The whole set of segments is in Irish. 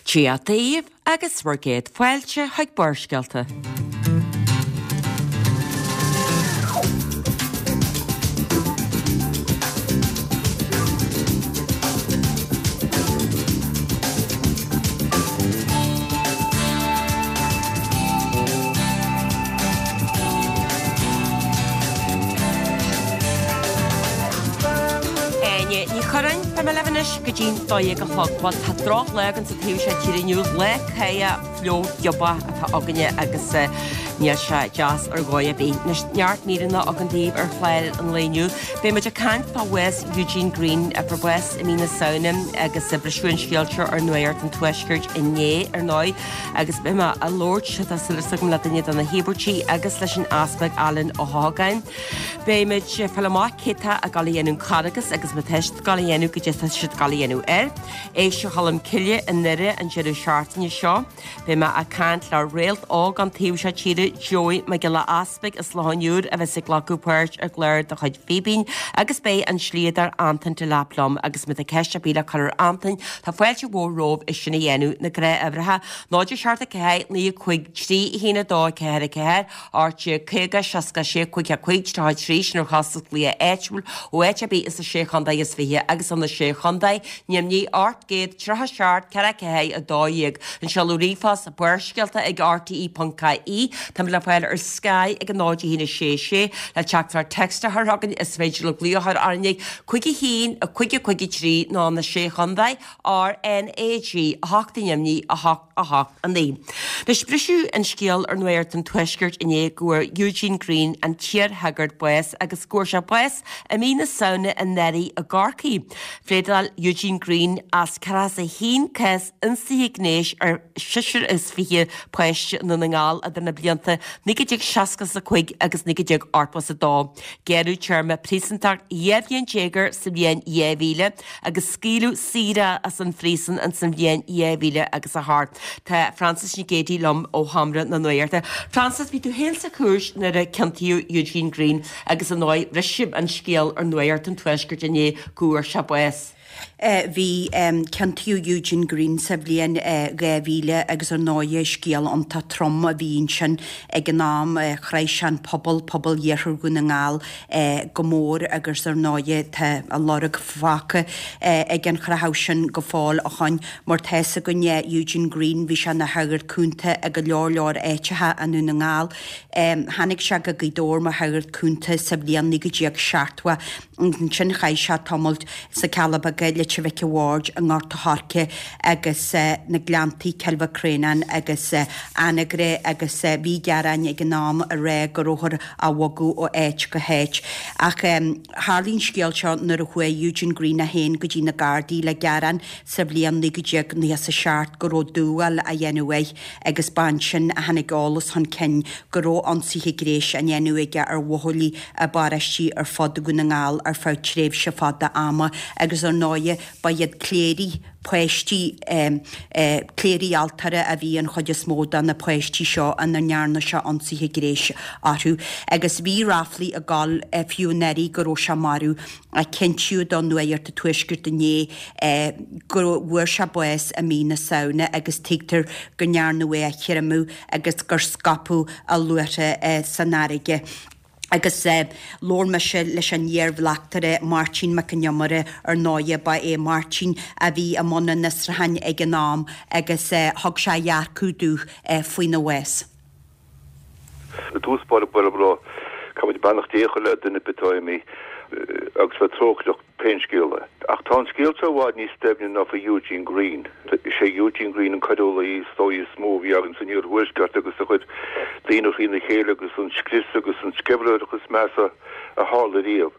Dia daoibh agus bhur gcéad fáilte chuig Barrscéalta. Áine Ní Churráin, Beidh mé libh anois go dtí'n 12 a chlog. Bhuel, tá drochlá againn sa taobh seo tíre inniu, lá cáidheach fliuch giobach atá againne agus níl sé deas ar dhóigh ar bith. Anois, neart míreanna againn daoibh ar chlár an lae inniu. Beidh muid ag caint fá bhás Eugene Greene, a fuair bás i mí na Samhna agus briseadh an scéal seo ar Nuacht an Tuaiscirt inné, ar ndóigh, agus beidh mé ag labhairt, tá súil agam, le duine de na híobairtí agus leis an Easpag Alan Ó hEochagáin. Beidh muid ag fáil amach cé tá ag dul a dhéanamh an Carghas agus má tá siad ag dul a dhéanamh goidé tá siad ag dul a dhéanamh air. Éigse Cholm Cille i nDoire an deireadh seachtaine seo. Beidh mé ag caint le réalt óg ón taobh seo tíre, Joey Mac Giolla Easpaig as Loch an Iúir a bheas ag glacadh páirt i gclár de chuid Fíbín agus beidh an slíodóir Antain Delap liom agus má tá ceist ar bith le cur ar Antain tá fáilte mhór romhaibh é sin a dhéanamh. Na gnáthuimhreacha, 0 7 4 9 5 3 1 2 4 4 18 50 66 55 33, sin ar chostas glaoch áitiúil ó áit ar bith ins na Sé Chontae is Fiche agus ó na Sé Chontae, Nimhní, 837 4 4 12. An seoladh ríomhphost, Barrscéalta ag rte.ie. Táimid le fáil ar Sky ag 0 1 6 6 le teachtaireacht text a chur chugainn is féidir libh glaoch a chur orainn ag 5 1 5 5 3 nó na Sé Chontae, RnaG 8 i nDoimhní 8 8 9. Anois, briseadh an scéal ar Nuacht an Tuaiscirt inné go bhfuair Eugene Greene, an t-iarshagart, bás agus go bhfuair sé bás i mí na Samhna anuraidh i gCorcaigh. Phléadáil Eugene Greene as 41 cás ionsaithe gnéis ar sheisear is fiche páiste i nDún na nGall idir na blianta 1965 agus 1982. Gearradh téarma príosúntachta 12 bhliain air sa bhliain 2000 agus scaoileadh saor é as an phríosún ins an bhliain 2000 agus a hocht. Tá Frances Nic Géadaigh liom ó Sheomra na Nuachta. Frances, bhí tú féin sa chúirt nuair a ciontaíodh Eugene Greene agus ar ndóigh briseadh an scéal ar Nuacht an Tuaiscirt inné go bhfuair sé bás. Bhí, ciontaíodh Eugene Greene sa bhliain 2000 agus ar ndóighe scéal iontach trom a bhí ansin ag an am. Chraith sé an pobal, pobal Iarthar Dhún na nGall, go mór agus ar ndóighe tá a lorg fágtha ag an chreathadh sin go fóill ó shoin. Mar tá fhios againne Eugene Greene, bhí sé ina shagart cúnta i go leor leor áiteacha i nDún na nGall. Tháinig sé go Gaoth Dobhair mar shagart cúnta sa bhliain 1970 agus ansin chaith sé tamall sna Cealla Beaga, Leitir Mhic a' Bhaird, i nGort a' Choirce agus na Gleanntaí, Cill Mhic Réanáin agus Anagaire agus bhí gearáin ag an am ag rá go rabhthar á bhogadh ó áit go háit. Ach tharlaigh an scéal seo nuair a chuaigh Eugene Greene é féin go dtí na Gardaí le gearán sa bhliain 1997 go raibh dúmhál á dhéanamh air agus ba ansin a tháinig eolas chun cinn go raibh ionsaithe gnéis á ndéanamh aige ar bhuachaillí i bparóistí ar fud Dhún na nGall ar feadh tréimhse fada ama agus ar ndóighe ba iad cléirigh páistí, cléirigh altóra a bhí an chuid is mó de na páistí seo ina ndearna sé ionsaithe gnéis orthu. Agus bhí ráflaí ag dul fiú anuraidh go raibh sé marbh. Cinntíodh do Nuacht an Tuaiscirt inné go bhfuair sé bás i mí na Samhna agus tuigtear go ndearnadh é a chreimeadh agus gur scaipeadh a luaithre san fharraige. Agus labhair mise leis an iar-bhleachtaire Máirtín Mac Con Iomaire, ar ndóighe ba é Máirtín a bhí i mbun an fhiosrúcháin ag an am agus thug sé a dhearcadh domh faoina bhás. I dtús báire ba mhaith caithfidh muid beannacht Dé a chur le duine ar bith atá imithe agus bheith trócaireach pén scéal é. Ach tá an scéal seo i bhfad níos doimhne ná faoi Eugene Greene. Is é Eugene Greene an coiriúlaí is dóigh is mó a bhí againn san iarthuaisceart agus a chuir daoine thrína chéile agus an scrios agus an sceimhlitheoireacht is measa a tharla riamh.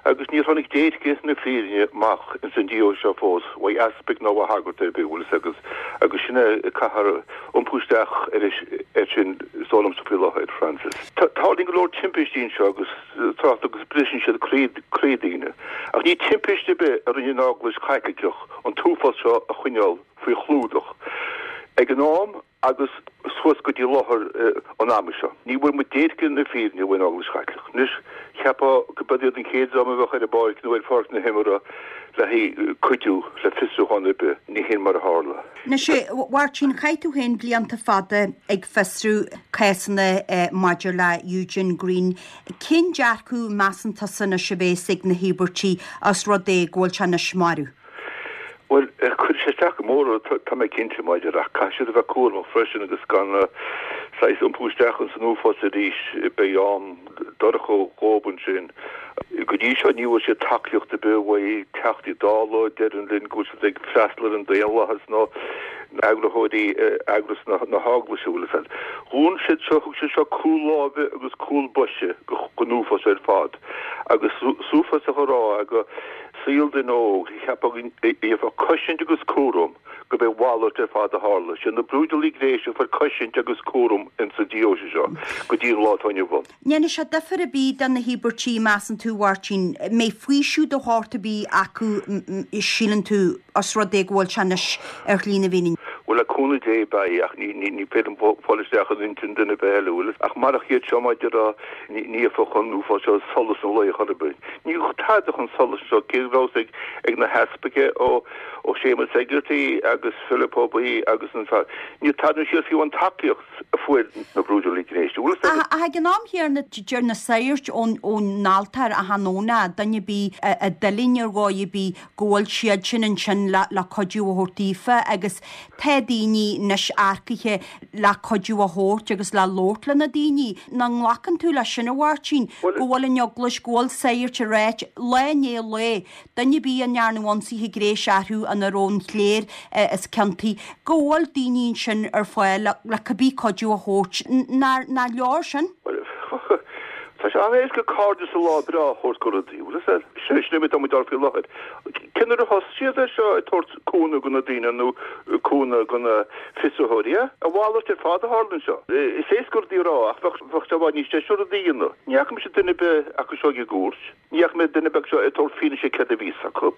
Agus níor tháinig déirce na fírinne amach ins an diabhal seo fós, uaidh easpaig ná uaidh shagart ar bith, bhfuil fhios agat, agus sin é a caithfear iompú isteach air sin is dóigh liomsa faoi láthair, Frances. Tarlaíonn go leor timpistí anseo agus trácht agus briseann siad croí daoine. Ach ní timpiste ar bith a rinne an Eaglais Chaitliceach an t-uafás seo a choinneáil faoi chlúdach ag an am agus. Suas go dtí láthair an ama seo, ní bhfuair muid déirc na fírinne ón Eaglais Chaitliceach. Anois, cheapfá go b'iad an chéad dream a bheadh ar an bpáirc nó ar pháirc na himeartha le haghaidh cuidiú le fiosrúchán ar bith. Ní hin mar a tharla. Anois, a Mháirtín, chaith tú féin blianta fada ag fiosrú cásanna maidir le Eugene Greene. Cén dearcadh, measann tusa anois, a bhéas ag na híobairtigh os rud é go bhfuil sé anois marbh? Bhuel, cuirfidh sé isteach go mór orthu, tá mé cinnte, maidir, ach caithfidh siad a bheith cúramach freisin agus gan saghas iompú isteach ins an uafás arís, beidh am dorcha dhóibh ansin. Go dtí seo ní bhfuair siad tacaíocht ar bith uaidh Teachtaí Dála, deireann linn go bhfuil siad ag freastal ar an daonlathas nó eagraitheoirí eagras na hEaglaise, bhfuil fhios a'd. Dhún siad seo, thug siad seo cúl láimhe agus cúl boise don uafás ar fad agus is uafásach a rá go saol duine óg, cheapfá go bhfaighfeá cosaint agus cúram gurb é a mhalairt ar fad a tharla. Siad na brúidiúlaigh gnéis a fuair cosaint agus cúram ins an deoise seo go dtí an lá atá inniu ann. Ndéanfaidh sé difear ar bith do na híobairtigh, measann tú, a Mháirtín? Mbeidh faoiseamh de shórt ar bith acu, síleann tú, os rud é go bhfuil sé anois ar shlí na bhfírinne? Bhuel, le cúnamh Dé, beidh, ach ní féidir liom fáil isteach in intinn duine ar bith eile, bhfuil fhios. Ach marach iad seo, mar a déarfá, ní fhéadfadh an uafás seo solas an lae a chur ar bith. Ní raibh tada chun solais anseo, cé go raibh ag na heaspaig ó Séamus Hegarty agus Philip Ó Baoill agus an fear. Níl tada anseo fiú an tacaíocht a fuair na brúidiúlaigh gnéis. Bhfuil fhios agat? Ach ag an am chéanna deir na sagairt ón altóir achan Domhnach, duine ar bith a d'fhuiling ar dhóigh ar bith go bhfuil siad sin ansin le cuidiú a thabhairt daofa agus tá daoine anois earcaithe le cuidiú a thabhairt agus le labhairt le na daoine. Nach nglacann tú leis sin, a Mháirtín, go bhfuil an Eaglais, go bhfuil sagairt ag ráit, lá i ndiaidh lae, duine ar bith a ndearnadh ionsaithe gnéis orthu ina raibh an chléir is ciontaí, go bhfuil daoine ansin ar fáil le cibé cuidiú a thabhairt. Nach leor sin? Bhuel, tá sé an-éasca cairdeas sa lá breá a thabhairt go rudaí, bhfuil fhios a'd? Sin é mar atá muid faoi láthair. Cén uair a thosaigh siad air seo ag tabhairt cúnamh go na daoine nó cúnamh go na fiosraitheoirí. A mhalairt ar fad a tharla anseo. Is éasca rudaí a rá ach bheadh sé i bhfad níos deise rudaí a dhéanamh. Ní fhaca mise duine ar bith acu seo ag an gcúirt. Ní fhaca mé duine ar bith acu seo ag tabhairt fianaise céard a bhí fhios acu.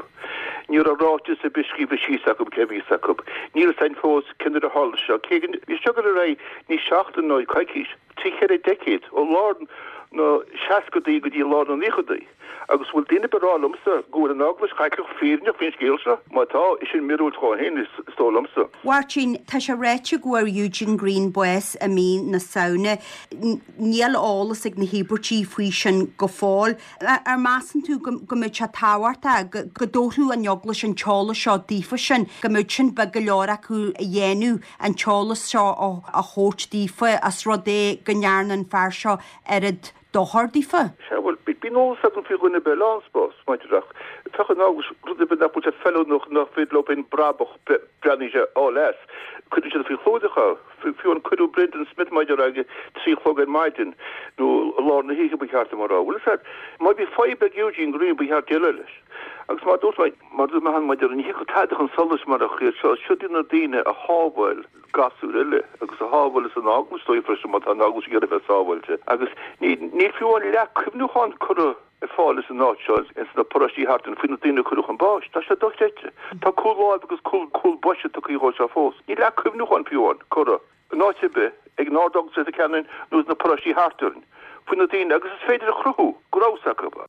Ní raibh ráiteas ar bith scríofa síos acu cé a bhí fhios acu. Níl fhios againn fós cén uair a tharla seo. Cé go bhí seo ag dul ar aghaidh ní seachtain nó coicís, trí cheithre deicéad, ó lár na seascadaí go dtí lár na naochadaí. Agus bhfuil duine ar bith ag rá liomsa go bhfuil an Eaglais Chaitliceach fírinneach faoin scéal seo? Má tá, is sin míorúilt dhó féin, is dóigh liomsa. Mháirtín, tá sé ráite go bhfuair Eugene Greene bás i mí na Samhna. Níl eolas ag na híobairtigh faoi sin go fóill. Ar measann tú go mbeadh sé tábhachtach go dtabharfadh an Eaglais an t-eolas seo daofa sin, go mbeadh sin beag go leor acu a dhéanamh, an t-eolas seo a thabhairt daofa, os rud é go ndearna an fear seo oiread dochar daofa. Sea, bhuel, bíonn eolas agam faoi dhuine ar bith eile ann, spás, maidir ach féach an eaglais, rud ar bith nach bhfuil sé feiliúnach, nach féidir leo féin brabach, breathnaíonn sé all as, cuireann siad faoi chlúdach é. Fiú an cuireadh Brendan Smith maidir ag 3 a chlog ar maidin, nó i lár na hoíche ba cheart dom a rá. Bhfuil fhios a'd, má bhí fadhb ag Eugene Greene ba cheart déileáil leis. Agus mar a dúirt mé, mar a dúirt mé cheana maidir, ní thiocfadh tada chun solais marach iad seo, siod iad na daoine a shábháil. gasúir eile agus a shábháil as an eaglais dóibh freisin má tá an eaglais ag iarraidh a bheith sábháilte. Agus níl fiú amháin leac cuimhniúcháin curtha ar fáil ins an áit seo, ins na paróistí thart ann, faoi na daoine a cuireadh chun báis. Tá sé dochreidte. Tá cúl láimhe agus cúl cúl boise tugtha dhóibh seo fós. Níl leac cuimhniúcháin fiú amháin curtha in áit ar bith ag an Ard-Eaglais Leitir Ceanainn nó sna paróistí thart orainn faoi na daoine agus is féidir a chruthú go rabhas acu.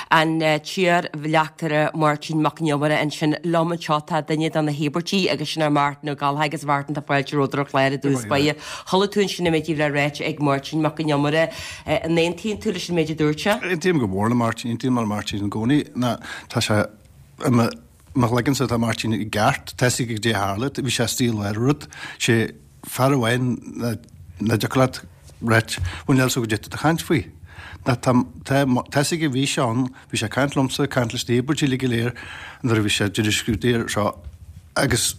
An t-iar-bhleachtaire Máirtín Mac an Iomaire ansin liom anseo. Tá duine de na híobairtigh agus sin é Martin Ó Gallchóir agus Mhartin tá fáilte romhat ar an chlár i dtús báire. Chuala tú ansin an méid a bhí le ráite ag Máirtín Mac an Iomaire. An aontaíonn tú leis an méid a dúirt sé? Aontaím go mór le Máirtín, aontaím le Máirtín i gcónaí. Ná tá sé i mo mo chloigeannsa tá Máirtín i gceart, tá fhios aige goidé a tharla, bhí sé istigh i lár rud, sé fear amháin nach dtiocfadh leat ráit, bhuel níl fhios agam goidé tá tú ag caint faoi. Ná tá tá tá fhios aige bhí sé ann, bhí sé ag caint liomsa, ag caint leis na híobairtigh uilig go léir nuair a bhí sé ag déanamh scrúdaithe air seo agus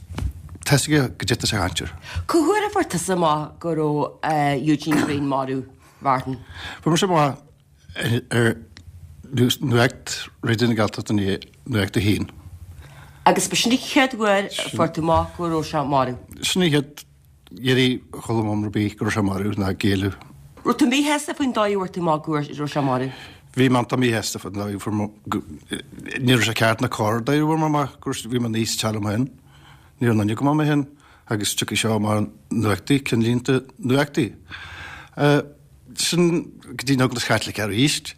tá fhios aige goidé tá sé ag caint air. Cá huair a fuair tusa amach go raibh Eugene Greene marbh, Mhartin? Fuair mise amach ar Nuacht Raidió na Gaeltachta inné, Nuacht a hAon. Agus ba sin an chéad uair a fuair tú amach go raibh sé marbh? Sin an chéad iarraidh a chuala mé ar bith go raibh sé marbh ná géilleadh. Raibh tú míshásta faoin dóigh a bhfuair tú amach go raibh sé marbh? Bhí mé iontach míshásta faoin dóigh a fuair mé, ní raibh sé ceart ná cóir an dóigh a bhfuair mé amach go raibh, bhí mé níos teala mé féin. Ní raibh aon duine go maith mé féin. Agus tiocfaidh seo amach nuachtaí, cinnlínte nuachtaí. Sin go dtí an Eaglais Chaitliceach arís.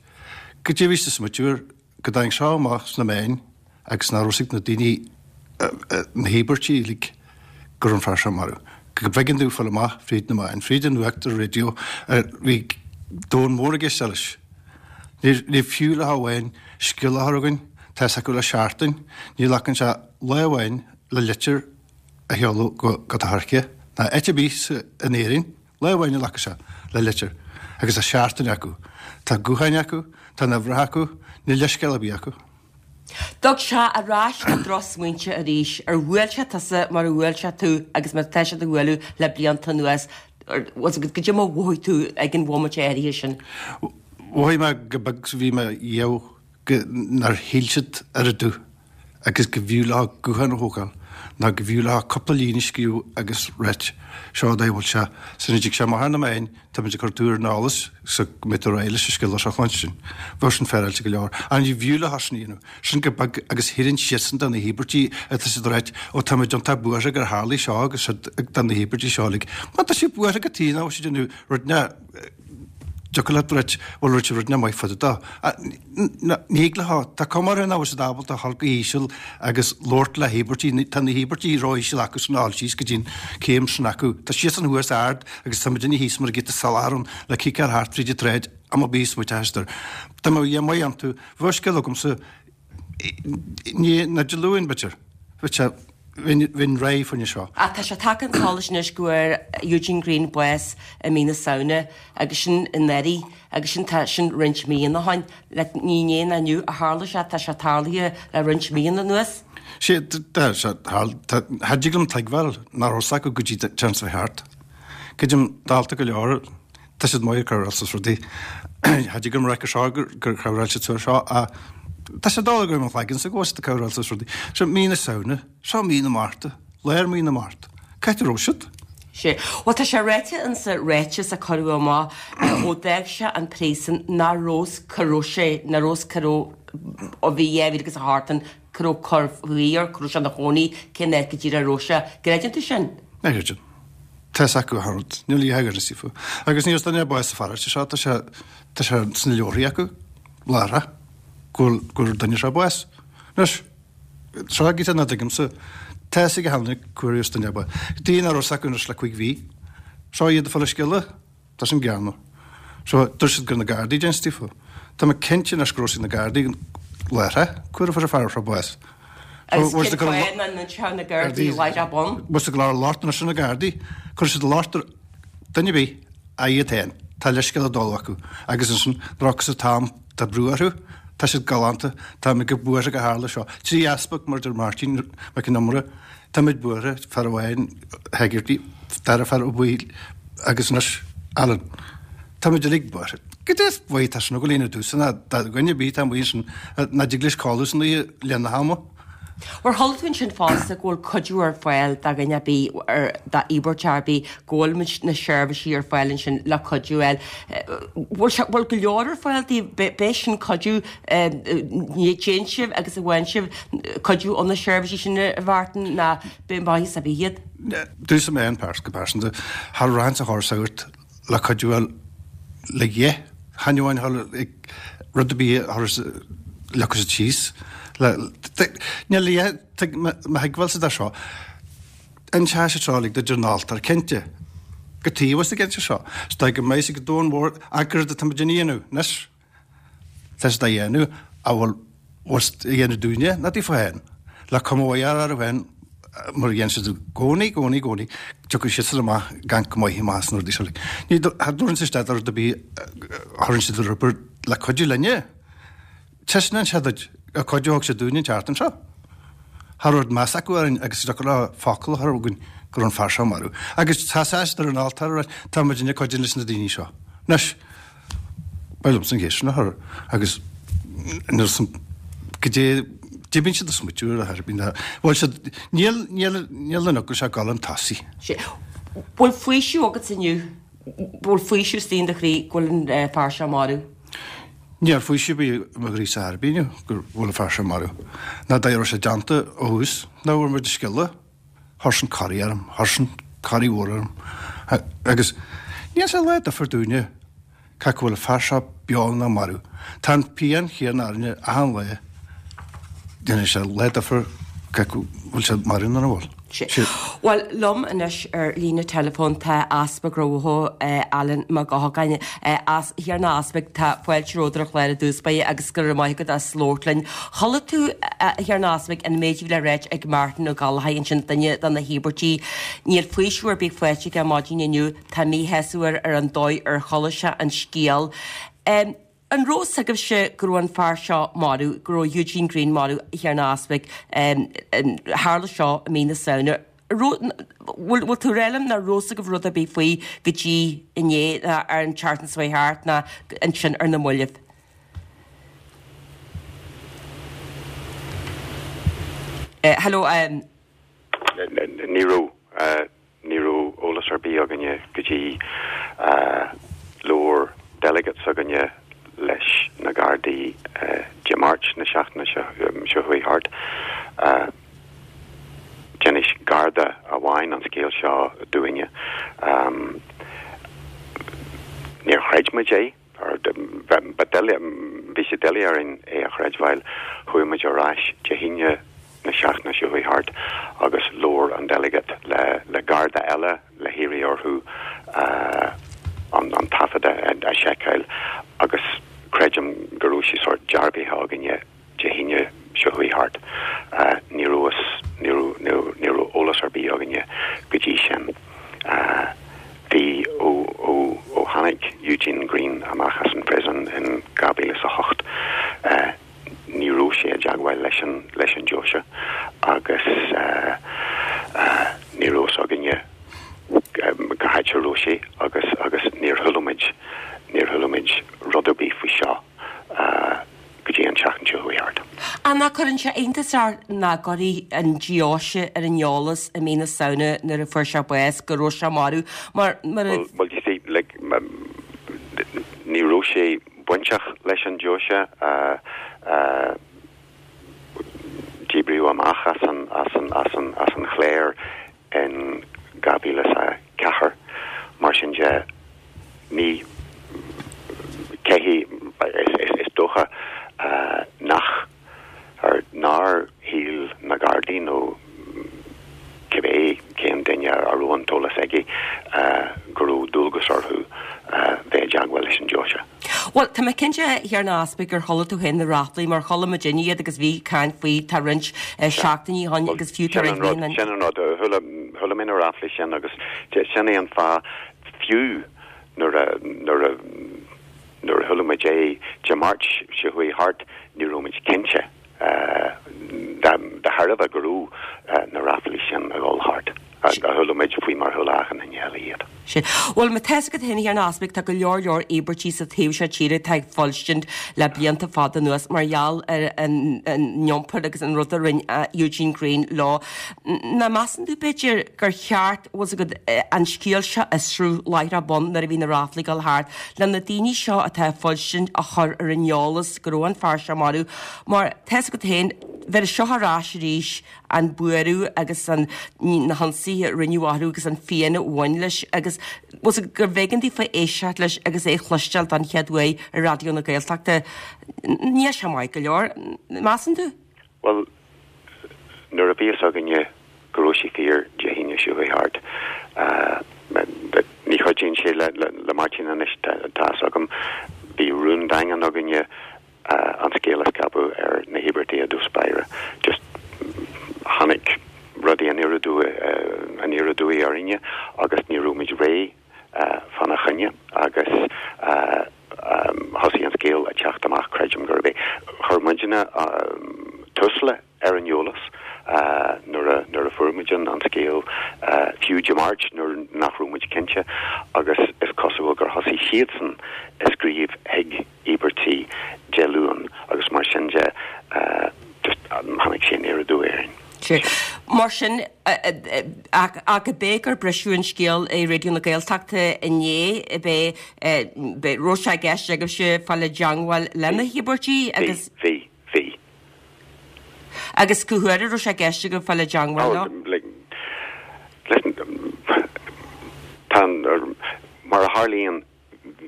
Goidé a bhí sa smaoitiú air go dtáinig seo amach sna meáin agus nach raibh 's ag na daoine na híobairtí uilig go raibh an fear seo marbh. Go mb'éigean dóibh fáil amach fríd na meáin, fríd an nuacht ar raidió, bhí domhan mór ag éisteacht leis. Ní fiú leo amháin scéal a chur chugainn, tá 'fhios acu le seachtain, ní ghlacann sé lá amháin le litir a sheoladh go Docharca ná áit ar bith in Éirinn, lá amháin a ghlacfaidh sé le litir agus tá seachtain acu. Tá gutháin acu, tá na huimhreacha acu, níl leithscéal ar bith acu. Dtug sé ar ais na drochsmaointe arís. Ar bhuail sé tusa mar a bhuail sé tú agus mar atá sé do bhualadh le blianta anuas? Goidé mar a mhothaigh tú ag an bhomaite áirithe sin? Mhothaigh mé go beag is a bhí mé dhiabh go nár shíl siad ar dtús agus go bhfiú leo guthán a thógáil ná go bhfiú leo cúpla líne a scríobh agus ráit, seo an dóigh a bhfuil sé. Sula dtig sé amach ar na meáin, táimid ag cur tú ar an eolas so go mbeidh tú réidh leis an scéal seo a chluinstin. Bheadh sin féaráilte go leor. Ach ní bhfiú leo sin a dhéanamh. Sin go beag agus thireann siadsan do na híobairtí atá siad ag ráit, ó táimid iontach buartha gur tharlaigh seo agus siad do na híobairtí seo uilig. Má tá siad buartha cad chuige nach bhfuil siad ag déanamh rud ná dtiocfadh leat ráit, bhuel rinne siad rud nach maith fada dó. Ní thig leo, tá cuma orthu nach bhfuil siad ábalta a dhul go híseal agus labhairt le híobairtí, tá na híobairtí ró-íseal acu san a dhul síos go dtí an céim sin acu. Tá siadsan thuas ard agus tá muidinne thíos mar a giota salachar ann le ciceáil thart fríd an tsráid am ar bith is muid aistear. Dá mbeadh a dhath maith iontu, bheadh scéal agamsa ní, ná Dé Luain b'fhéidir, bheadh sé, bheinn réidh fá choinne seo. Ach tá sé tagtha chun solais anois go bhfuair Eugene Greene bás i mí na Samhna agus sin anuraidh agus sin tá sin roinnt míonna ó shin. Like ní inné ná inniu a tharla sé, tá sé tarlaithe le roinnt míonna anuas. Sé, tá sé, tá, cha dtig liom tuigbheáil nach raibh 's acu go dtí téann sé thart. Creidim dálta go leor, Tá siad maith ag cur is rudaí. Cha dtig liom rá seo gur chabhráil siad seo ach tá sé doiligh go mo chloigeann sa go bhfuil siad ag cabhráil is rudaí. Seo mí na Samhna, seo mí na Márta, lár mí na Márta. Cá háit a raibh siad? Sé. Bhuel tá sé ráite insa ráiteas a cuireadh amach ó d'fhág sé an príosún nach raibh cá raibh sé, nach raibh cá raibh ó bhí 2000 agus a hocht ann, cá raibh cur faoi air, cá raibh sé ina chónaí, cén áit go díreach a raibh sé. Gcreideann tú sin? Ní chreidim. Tá 'fhios acu achan rud. Níl a dhath ar ionsaí fúthu. Agus níl duine ar bith sa pharóiste seo, tá sé, tá sé sna leabharthaí acu, láithreach, go bhfuil, go bhfuair an duine seo bás. Anois, seo giota nach dtuigimse, tá 'fhios ag achan duine cá bhfuair duine bás. Daoine nach raibh 'fhios acu anois le cuig mhí. Seo iad ag fáil an scéala. Tá sin greannmhar. So, dúirt siad gur na Gardaí a d'inis daofa. Tá mé cinnte anois go raibh 'fhios ag na Gardaí láithreach cá huair a fuair an fear seo bás. Agus cén fáth nach n-inseodh na Gardaí láithreach bonn? Bhfuil siad ag lorg locht anois ar na Gardaí. Cuirfidh siad locht ar duine ar bith ach iad féin. Tá leithscéal i dtoll acu. Agus ansin, nuair a thiocfas an t-am, tá brú orthu, tá siad galánta, táimid go buartha gur tharla seo. 3 easpag, mar a deir Máirtín Mac Con Iomaire, Táimid buartha, fear amháin, Hegarty, dara fear Ó Baoill agus anois Alan. Táimid uilig buartha. Goidé is mhaith atá sin ag dul a dhéanamh domhsa ná do dhuine ar bith atá amuigh ansin nach dtig leis codladh san oíche le linn na hama. Ar chuala tú ansin fosta go bhfuil cuidiú ar fáil do dhuine ar bith, d'íobartach ar bith, go bhfuil muid na seirbhísí ar fáil ansin le cuidiú a fháil. Bhfuil sé, bhfuil go leor ar fáil daoibh? B'é sin cuidiú ní dtéann sibh agus a bhfaigheann sibh cuidiú ó na seirbhísí sin a Mhártain ná b'é maitheas a bith iad. Domhsa mé féin go pearsanta, cha rachainn sa chor sagart le cuidiú a fháil le dhith, chan amháin a dhul ag rud ar bith a chur leagfadh siad síos le níl a dhath mo thuigbheáilsa de seo. Inseoidh siad seo uilig duit ar an altóir, cinnte. Go taobh is ag inse seo. Is dóigh go mbeidh siad go domhan mhór ach céard atá muid a dhéanamh anois. Tá siad á dhéanamh a bhfuil bhfuil siad a dhéanamh dúinne, ná daofa féin. Le cuma mhaith a chur orthu féin mar a dhéanann siad i gcónaí, gcónaí, gcónaí, tiocfaidh siadsan amach gan go maith amach as na rudaí seo uilig. Ní cha dtabharann siad isteach rud ar bith a chuireann siad ar obair le cuidiú linne. Taispeánann sé duit an cuidiú a thug siad dúinne an tseachtain seo. Cha raibh meas acu orainn agus is deacair leo focal a chur chugainn go raibh an fear seo marbh. Agus tá siad ar an altóir ag ráit tá muidinne ag cuidiú leis na daoine seo. Anois, ba liomsa an cheist sin a chur agus nuair san goidé d'imíonn siad ag smaoitiú ar a thairbhí. Bhuel siad níl níl níl an eaglais ag dul chun tosaigh. Sé. Bhfuil faoiseamh agat inniu? Bhfuil faoiseamh istigh in do chroí go bhfuil an fear seo marbh? Níl faoiseamh ar bith i mo chroí-sa ar bith inniu go bhfuil an fear seo marbh. Ná dá raibh sé déanta ó thús, ná bhfuair muid an scéala. Chuir sin corraí orm, chuir sin corraí mhór orm. Agus ní dhéanann sé lá difear dúinne cé acu bhfuil an fear seo beo nó marbh. Tá an phian chéanna orainne achan lá. Déanann sé lá difear cé acu bhfuil sé marbh nó nach bhfuil. Bhuel, liom anois ar líne teileafóin tá Easpag Mhaigh Eo, Alan Mac Eochagáin. A Thiarna Easpaig, tá fáilte romhat ar an chlár i dtús báire agus go raibh maith agat as labhairt linn. Chuala tú, a Thiarna Easpaig, an méid a bhí le ráit ag Martin Ó Gallchóir ansin, duine de na híobairtigh. Níl faoiseamh ar bith faighte aige maidin inniu. Tá míshásamh air ar an dóigh ar chuala sé an scéal. An raibh fhios agaibhse go raibh an fear seo marbh, go raibh Eugene Greene marbh, a Thiarna Easpaig? Tharla seo i mí na Samhna. Bhfuil tú ag rá liom nach raibh fhios agaibh rud ar bith faoi go dtí inné ná ar an tseachtain seo chuaigh thart ná ansin ar na mallaibh? Hello. Ní raibh. Ní raibh eolas ar bith againne go dtí labhair delegate s'againne leis na Gardaí Dé Máirt na seachtaine seo chuaigh thart. D'inis Garda amháin an scéal seo dúinne. Níor chreid muid é. Bhí sé doiligh orainn é a chreidbheáil. Chuaigh muid ar ais Dé hAoine na seachtaine seo chuaigh thart agus labhair an delegate le Garda eile le hiarraidh orthu an taifead a sheiceáil agus creidim go raibh sé sórt dearbhaithe againne Dé hAoine seo chuaigh thart. Ní raibh ní raibh ní raibh eolas ar bith againne go dtí sin. Bhí ó ó ó tháinig Eugene Greene amach as an prison in 2008 ní raibh sé i dteagmháil leis an leis an deoise agus ní raibh fhios againne cá háit a raibh sé agus agus níor chuala muid níor chuala muid rud ar bith faoi seo. go dtí an tseachtain seo chuaigh thart. Ach nach gcuireann sé iontas ort nach gcuirfidh an deoise ar an eolas i mí na Samhna nuair a fuair sé bás go raibh sé marbh mar mar a. Well, you see, like, ní raibh sé bainteach leis an deoise, díbríodh amach as an, as an, as an, as an chléir in 2004. Mar sin de, ní, cé hé, is dócha nach, or nár shíl na Gardaí nó cibé cén duine a raibh an t-eolas aige go raibh dualgas orthu bheith i dteagmháil leis an deoise. Bhuel, tá mé cinnte, a Thiarna Easpaig, gur chuala tú féin na ráflaí, mar chuala muidinne iad agus bhí caint faoi tá roinnt seachtainí ó shin agus fiú tá roinnt mí Sin an rud, chuala mé na ráflaí sin agus sin é an fáth, fiú nuair a, nuair a, nuair a chuala muid é Dé Máirt seo chuaigh thart, ní raibh muid cinnte. De thairbhe go raibh na ráflaí sin ag dul thart, a chuala muid faoi mar chuala achan duine eile iad. Sin. Bhuel, má tá's agat féin, a Thiarna Easpaig, tá go leor leor íobairtí sa taobh seo tíre atá ag fuilstint le blianta fada anuas mar gheall ar an iompar agus an rud a rinne Eugene Greene leo. Nach measann tú, b'fhéidir, gur cheart, bhfuil 's agat, an scéal seo a fhiosrú láithreach bonn nuair a bhí na ráflaí ag dul thart, le na daoine seo atá ag fuilstint a chur ar an eolas go raibh an fear seo marbh Mar, tá's agat féin, bheir seo ar ais arís an buaireamh agus an, na hionsaithe a rinneadh orthu agus an phian a bhain leis agus bhfuil 's agat gurbh éigean daofa éisteacht leis agus é a chloisteáil don chéad uair ar Raidió na Gaeltachta. Níl sé maith go leor, measann tú? Bhuel, nuair a bhí fhios againne go raibh sé fíor Dé hAoine seo chuaigh thart, ní chuidíonn sé le Máirtín anois, tá fhios agam, bhí rún daingean againne an scéal a scaipeadh ar na híobairtigh i dtús báire. Just tháinig rudaí aniar aduaidh aniar aduaidh orainne agus ní raibh muid réidh fána choinne agus thosaigh an scéal ag teacht amach, creidim gurb é. Chuir muidne Tusla ar an eolas nuair a nuair a fuair muid an scéal, fiú Dé Máirt nuair nach raibh muid cinnte agus is cosúil gur thosaigh siadsan ag scríobh chuig íobairtigh Dé Luain agus mar sin de just tháinig sé aniar aduaidh orainn. Sea. Mar sin, ach ab é gur briseadh an scéal i Raidió na Gaeltachta inné, ab é, raibh sé i gceist agaibhse fáil i dteangmháil le na híobairtigh agus. Bhí, bhí. Agus cá huair a raibh sé i gceist agaibh fáil i dteangmháil leo? Like. Tá, mar a tharlaíonn,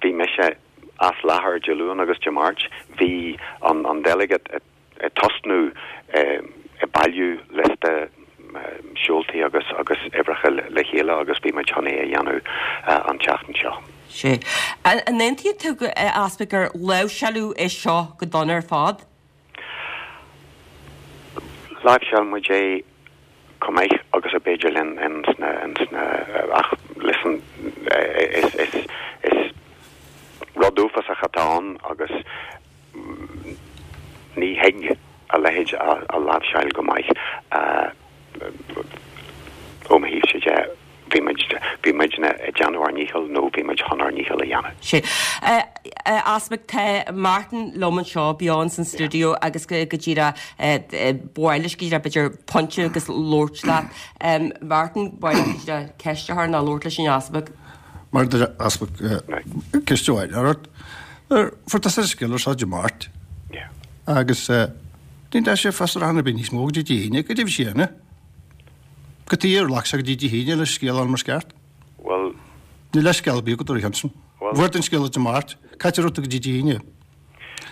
bhí mise as láthair Dé Luain agus Dé Máirt. Bhí an delegate ag tosnú ag bailiú liosta seoltaí agus agus uimhreacha le chéile agus bhí muid chun é a dhéanamh an tseachtain seo. Sea. An aontaíonn tú, a Easpaig, gur láimhseáladh é seo go dona ar fad? Láimhseáil muid é chomh maith agus ab fhéidir linn ins na, ins na, ach listen, is, is, is rud uafásach atá ann agus ní thig a leithéid a láimhseáil go maith. Ó mo thaobhsa de, bhí muid, bhí muidne ag déanamh ár ndícheall nó bhí muid chun ár ndícheall a dhéanamh. Sea. A Easpaig, tá Martin liom anseo beo ins an stiúideo agus go díreach, ba mhaith leis go díreach b'fhéidir pointe agus labhairt leat. Martin, ba mhaith leat go díreach ceist a chur nó labhairt leis an Easpag. Mar a deir an tEaspag, ceist amháin ort. Fuair tusa an scéal seo Dé Máirt agus ní dheachaigh sé fiosrúchán ar bith níos mó go dtí Dé hAoine, goidé bhí sé a dhéanamh. Cad chuige ar ghlac sé go dtí Dé hAoine le scéal a fháil mar is ceart. Bhuel. Níl leithscéal ar bith agat ar a shon sin. Fuair tú an scéal Dé Máirt, cá háit a raibh tú go dtí Dé hAoine.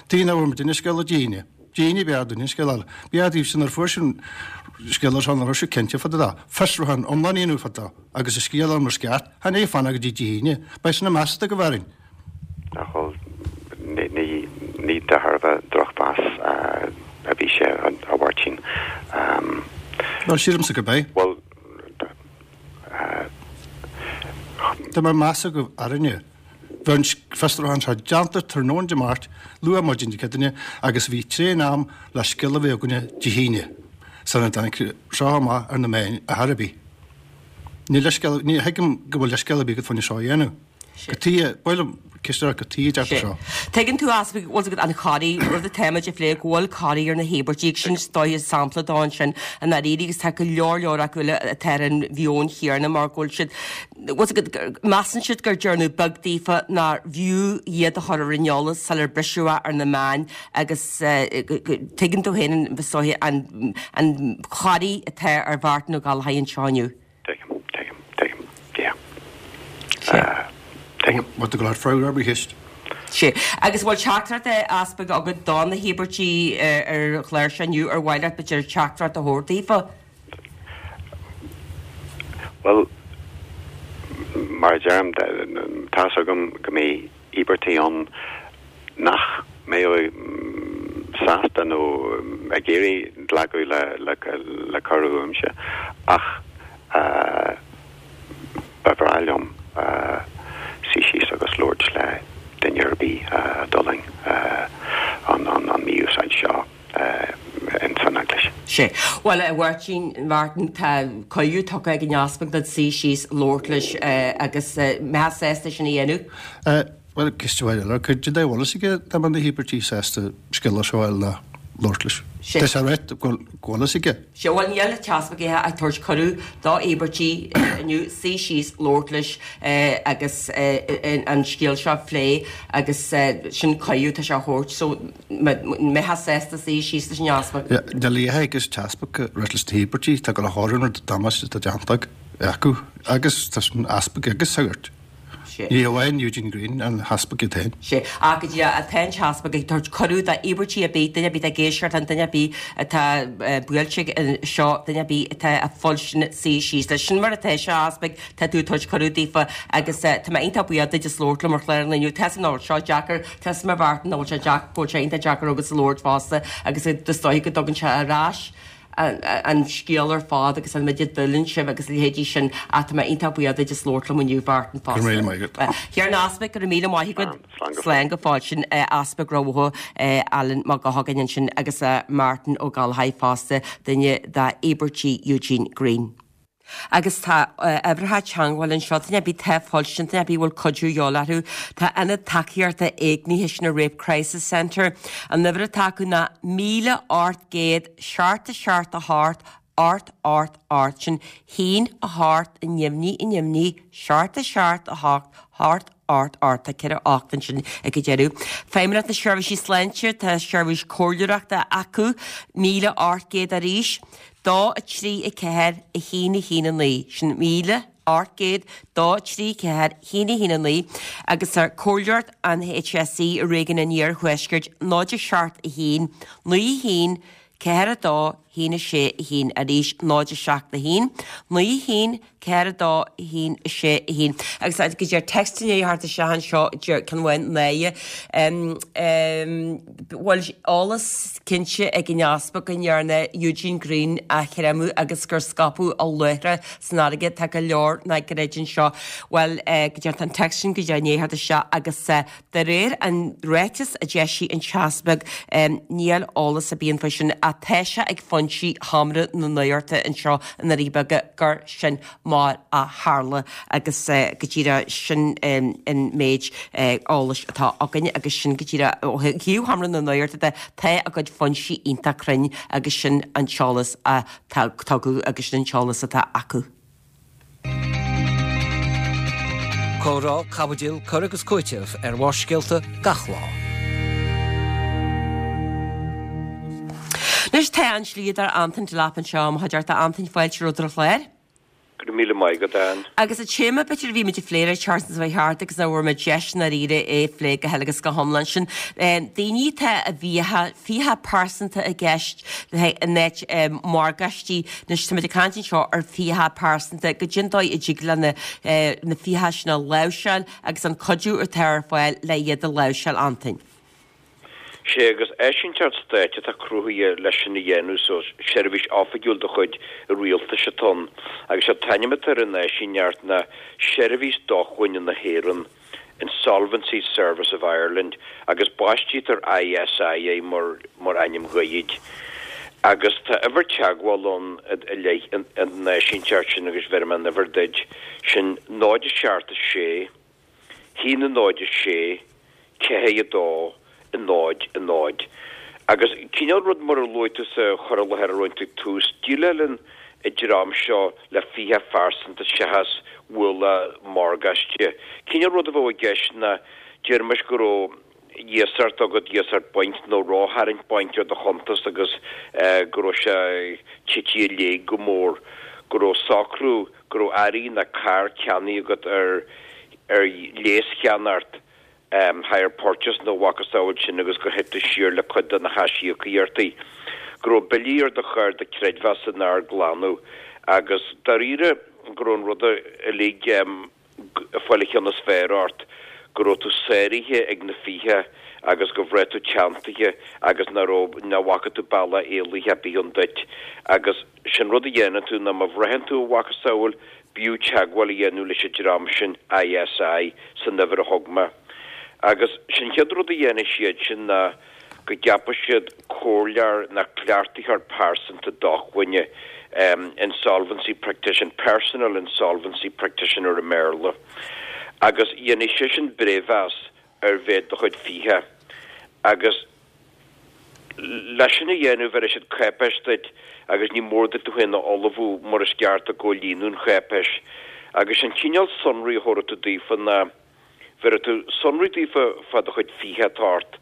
Tuige nach bhfuair muidinne an scéal Dé hAoine. Dé hAoine b'fhearr dúinne an scéal a fháil. B'fhearr daoibhse nuair a fuair sibh an scéal seo nach raibh sibh cinnte fá dtaobh de. Fiosrúchán iomlán a dhéanamh fá dtaobh agus an scéal a fháil mar is ceart. Chan é fanacht go dtí Dé hAoine. Beidh sin measartha go bhfearainn. Ach bhuel, ní, ní de thairbhe drochmheas a bhí sé, a Mháirtín. Bhuel, sílimse gurb é. Bhuel, Dá mbeadh meas agaibh orainne, bheadh an fiosrúchán seo déanta tráthnóna Dé Máirt, luath maidin Dé Céadaoine, agus bhí tréan am le scéal a bheith againne Dé hAoine, sula dtáinig seo amach ar na meáin ar chor ar bith. Níl leithscéal, ní thuigim go bhfuil leithscéal ar bith agat fá choinne seo a dhéanamh. Cad chuige, ba mhaith liom ceist a chur, cad chuige a deirtear seo. Tuigeann tú, a Easpaig, bhfuil agat an chorraí, rud atá muid ag plé, go bhfuil corraí ar na híobairtigh, sin is dóiche sampla dó ansin i ndáiríre agus tá go leor leor acu eile atá ar an mheon chéanna mar go bhfuil siad, bhfuil agat, measann siad gur dearnadh beag daofa nár bhfiú iad a chur ar an eolas sular briseadh é ar na meáin agus tuigeann tú féin is dóiche an an chorraí atá ar Mhartin Ó Gallchóir anseo inniu. Tuigim, tuigim, tuigim. Yeah. Sea. Tuigim. What the glad freagra ar mo cheist. Sea. Agus bhfuil teachtaireacht a Easpaig agat do na híobairtigh ar an chlár seo inniu ar mhaith leat b'fhéidir teachtaireacht a thabhairt daofa? Bhuel, mar a deirim, tá's agam go mbeidh íobartaigh ann nach mbeadh sásta nó ag iarraidh glacadh le cuireadh uaimse ach ba bhreá liom suí síos agus labhairt le duine ar bith a d'fhulaing an mí-úsáid seo ins an Eaglais. Sea. Bhuel, a Mháirtín, Martin, tá cuireadh tugtha ag an Easpag duit suí síos, labhairt leis agus mbeifeá sásta sin a dhéanamh? Bhuel, ceist mhaith eile. Cad é a bhfuil fhios aige dá mbeadh na híobairtigh sásta scéal seo a fháil ná labhairt leis? Sea. Tá sé ráite go bhfuil fhios aige. Sea, bhuel, níl an tEaspag ach ag tabhairt cuireadh do íobairtigh inniu suí síos, labhairt leis agus an scéal seo a phlé agus sin cuireadh atá sé a thabhairt so mbeifeá sásta suí síos leis an Easpag. Níl a fhios ag an tEaspag ráit leis na híobairtigh, tá go leor an rud damáiste atá déanta acu agus tá an Easpag agus sagart. Sea. Ní hamháin Eugene Greene, an tEaspag iad féin. Sea. Ach go díreach, tá an tEaspag ag tabhairt cuireadh d'íobairtigh ar bith, duine ar bith atá ag éisteacht linn, duine ar bith atá buailte ag seo, duine ar bith atá ag fuilstin suí síos leis. Sin mar atá sé, a Easpaig, tá tú ag tabhairt cuireadh daofa agus tá mé iontach buíoch duit as labhairt liom ar chlár an lae inniu. Tá a fhios agam nach bhfuil seo deacair, tá a fhios agam a Mhartin nach bhfuil sé deacair, go bhfuil sé iontach deacair agatsa labhairt fosta agus is dóigh go dtugann sé ar ais an scéal ar fad agus an méid a d'fhulaing sibh agus a leithéidí sin ach tá mé iontach buíoch duit as labhairt liom inniu Mhartin fosta. Go raibh míle maith agat. A Thiarna Easpaig, go raibh míle maith agat. Slán go fóill. Sin Easpag Ráth Bhoth Alan Mac Eochagáin ansin agus Martin Ó Gallchóir fosta, duine d'íobartaigh Eugene Greene. Agus tá uimhreacha teagmhála anseo, duine ar bith atá ag fuilstin, duine ar bith a bhfuil cuidiú de dhíobháil orthu. Tá Ionad Tacaíochta Éignithe sin an Rape Crisis Centre. An uimhir atá acu ná 1800 7 7 8 8 8 8, sin 1 8 neamhní neamhní 7 7 8 8 8 8 Tá 4 8 ansin ag an deireadh. Feidhmeannacht na Seirbhísí Sláinte, tá seirbhís comhairleoireachta acu, 1800 arís, 2 3 4 1 1 9, sin 1000. 800 2 3 4 1 1 9 agus ar Comhairleoireacht an HSE i Réigiún an Iarthuaiscirt 0 7 1 9 1 4 2 1 6 1 arís 0 7 1 9 1 4 2 1 6 1 Agus go deir text i ndiaidh theacht isteach anseo deir ceann amháin Náire bhfuil eolas cinnte ag an Easpag go ndearna Eugene Greene a chreimeadh agus gur scaipeadh a luaithre san fharraige tá go leor nach gcreideann seo. Bhuel go deir an text sin go deir i ndiaidh theacht isteach agus De réir an ráiteas a d'eisigh an tEaspag, níl eolas ar bith ann faoi sin ach tá sé ag foinsí Sheomra na Nuachta anseo i nDoirí Beaga gur sin mar a tharla agus go díreach sin an méid eolais atá againn agus sin go díreach ó thaobh Sheomra na Nuachta de, tá a gcuid foinsí iontach cruinn agus sin an t-eolas a tugadh agus sin an t-eolas atá acu. Comhrá, caibidil, cur agus cúiteamh ar Bharrscéalta gach lá. Anois tá an slíodóir Antain Delap anseo i mo chuideachta. Antain, fáilte romhat ar an chlár. Go raibh míle maith agat, Ann. Agus an téama b'fhéidir a bhí muid ag plé an tseachtain seo thart agus nach bhfuair muid deis i ndáiríre é a phlé go huile agus go hiomlán sin daoine atá i bhfiacha, fiacha pearsanta i gceist in áit morgáistí. Anois tá muid ag caint anseo ar fiacha pearsanta, goidé an dóigh a dtig le na na fiacha sin a láimhseáil agus an cuidiú atá ar fáil le iad a láimhseáil, Antain. Sé agus áisínteacht stáit atá cruthaithe leis sin a dhéanamh so seirbhís oifigiúil de chuid an rialtais atá ann agus sé an t-ainm atá ar an áisíneacht ná Seirbhís Dócmhainne na hÉireann. Insolvency Service of Ireland, agus baistítear ISI air mar mar ainm gairid. Agus tá uimhir teagmhála ann i leith an áisínteacht sin agus bhéarfaidh mé an uimhir duit, sin 0 7 6 1 0 6 4 2 0 0. Agus cineál rud mar a luaigh tú sa chur i láthair a rinne tú ag tús, déileálann an dream seo le fiacha phearsanta seachas ualach morgáiste. Cineál rud a bheadh i gceist ná, déarfaimis go raibh iasacht agat, iasacht bainc nó rótharraingt bainc ar do chuntas agus go raibh sé tite i léig go mór, go raibh socrú, go raibh earraí ná carr ceannaithe agat ar ar léascheannacht, hire purchase nó a mhacasamhail sin agus gur thit tú siar le cuid de na haisíocaíochtaí, go raibh billí ar do chárta creidmheasa nár glanadh agus dáiríre go raibh an rud uilig ag fáil an cheann is fearr ort, go raibh tú sáraithe ag na fiacha agus go bhraith tú teanntaithe agus nach raibh, nach bhfaca tú bealach éalaithe ar bith ann duit agus sin rud a dhéanann tú ná má bhraitheann tú a mhacasamhail B'fhiú teagmháil a dhéanamh leis an dream sin, ISI, san uimhir a thug mé. Agus sin chéad rud a dhéanfaidh siad sin ná go gceapfaidh siad comhairleoir ná cleachtaitheoir pearsanta dócmhainne, insolvency practitioner, personal insolvency practitioner i mBéarla, agus dhéanfaidh seisean breithmheas ar mhéid do chuid fiacha agus leis sin a dhéanamh bhéarfaidh siad cáipéis duit agus ní mór duit tú féin a ullmhú mar is ceart i gcomhlíonadh an cháipéis. Agus an cineál sonraí a thabharfaidh tú daofa ná bhéarfaidh tú sonraí daofa fá do chuid fiacha atá ort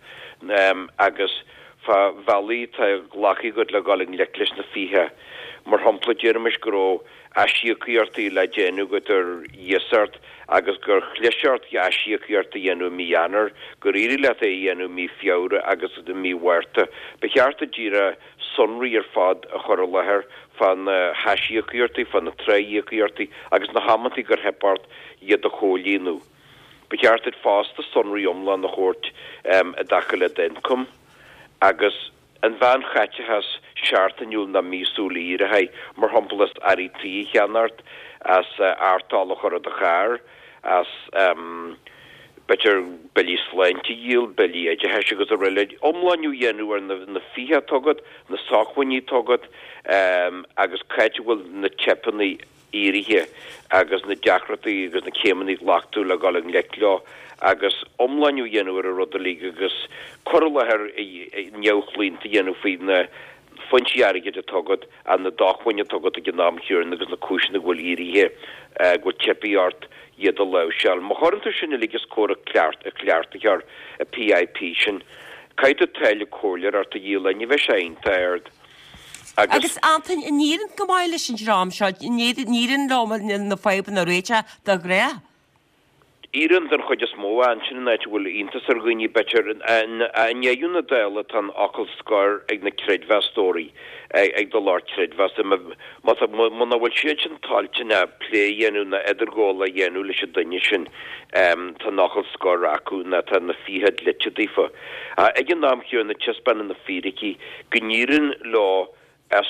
agus fá bhealaí atá glactha agat le dhul i ngleic leis na fiacha. Mar shampla, déarfaimis go raibh aisíocaíochtaí le déanamh agat ar iasacht agus gur chlis ort aisíocaíocht a dhéanamh i mí Eanáir, gur éirigh leat é a dhéanamh i mí Feabhra agus i mí Mhárta. Ba cheart duit díreach sonraí ar fad a chur i láthair fá na haisíocaíochtaí, fá na tráthíocaíochtaí agus na hamantaí gur theip ort iad a chomhlíonadh. Ba cheart duit fosta sonraí iomlán a thabhairt i dtaca le d'ioncam agus. An mheánchaiteachas seachtainiúil nó míosúil éirithe, mar shampla as earraí tí a cheannacht, as artáil a chur ar do charr, as b'fhéidir billí sláinte a dhíol, billí oideachais agus araile. Iomlánú a dhéanamh ar na fiacha atá agat, na sócmhainní atá agat agus c'áit a bhfuil na teipeanna éirithe agus na deacrachtaí agus na céimeanna a ghlac tú le dhul i ngleic leo agus iomlánú a dhéanamh ar an rud uilig agus cur i láthair neamhchlaonta a dhéanamh faoi na foinsí airgid atá agat and na dócmhainní atá agat ag an am chéanna agus na cúiseanna go bhfuil éirithe, go bhfuil teipthe ort iad a láimhseáil. Má chuireann tú sin uilig os comhair an chleachtaitheoir, an PIP sin, caithfidh tú táille comhairleoireachta a dhíol, ní bheidh sé iontach ard. Agus. Agus Antain, an éiríonn go maith leis an dream seo, an éiríonn leo na fadhbanna a réiteach de ghnáth? Éiríonn den chuid is mó, ansin an áit a bhfuil iontas ar dhaoine, b'fhéidir. I ndeireadh na dála tá an fhocal scoir ag na creidmheastóirí, ag do lucht creidmheasa. Muna bhfuil siad sin toilteanach plé a dhéanamh ná idirghabháil a dhéanamh leis an duine sin, tá an fhocal scoir acu ná tá na fiacha dlite daofa. Ag an am chéanna taispeánann na fíricí go n-éiríonn leo as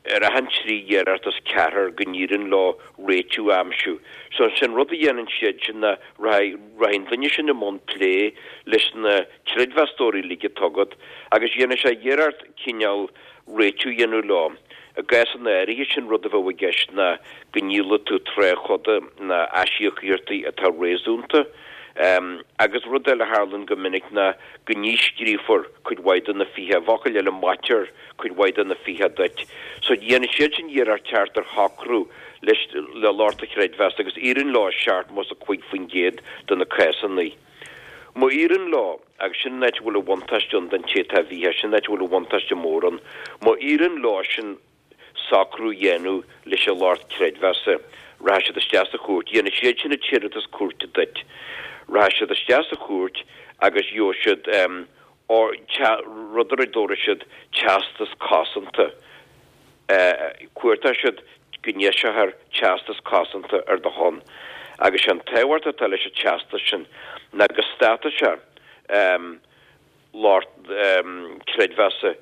ar achan trí iarracht as ceathrar go n-éiríonn leo réitiú a aimsiú. So sé an rud a dhéanann siad sin ná rachaidh rachaidh an duine sin i mbun plé leis na creidmheastóirí uilig atá agat agus dhéanfaidh sé iarracht cineál réitiú a dhéanamh leo. I gcásanna áirithe sé'n rud a bheadh i gceist ná go ndíolfaidh tú tráthchoda ná aisíocaíochtaí atá réasúnta. Agus rud eile a tharlaíonn go minic ná go ndíscríofar cuid mhaith de na fiacha, i bhfocail eile maitear cuid mhaith de na fiacha duit. So dhéanfaidh siad sin iarracht teacht ar shocrú leis le lucht do chreidmheasa agus éiríonn leo i 75% de na cásanna. Má éiríonn leo, agus sin an áit a bhfuil an bhuntáiste ann don té atá i bhfiacha, sin an áit a bhfuil an bhuntáiste mór ann, má éiríonn leo sin socrú a dhéanamh leis an lucht creidmheasa, rachaidh siad isteach sa chúirt, dhéanfaidh siad sin an t-iarratas cúirte duit, rachaidh siad isteach sa chúirt agus gheobhaidh siad rud ar a dtabharfaidh siad teastas cosanta, cuartóidh siad go n-eiseofar teastas cosanta ar do shon. Agus sé an tábhacht atá leis an teastas sin ná go stadfaidh sé lucht creidmheasa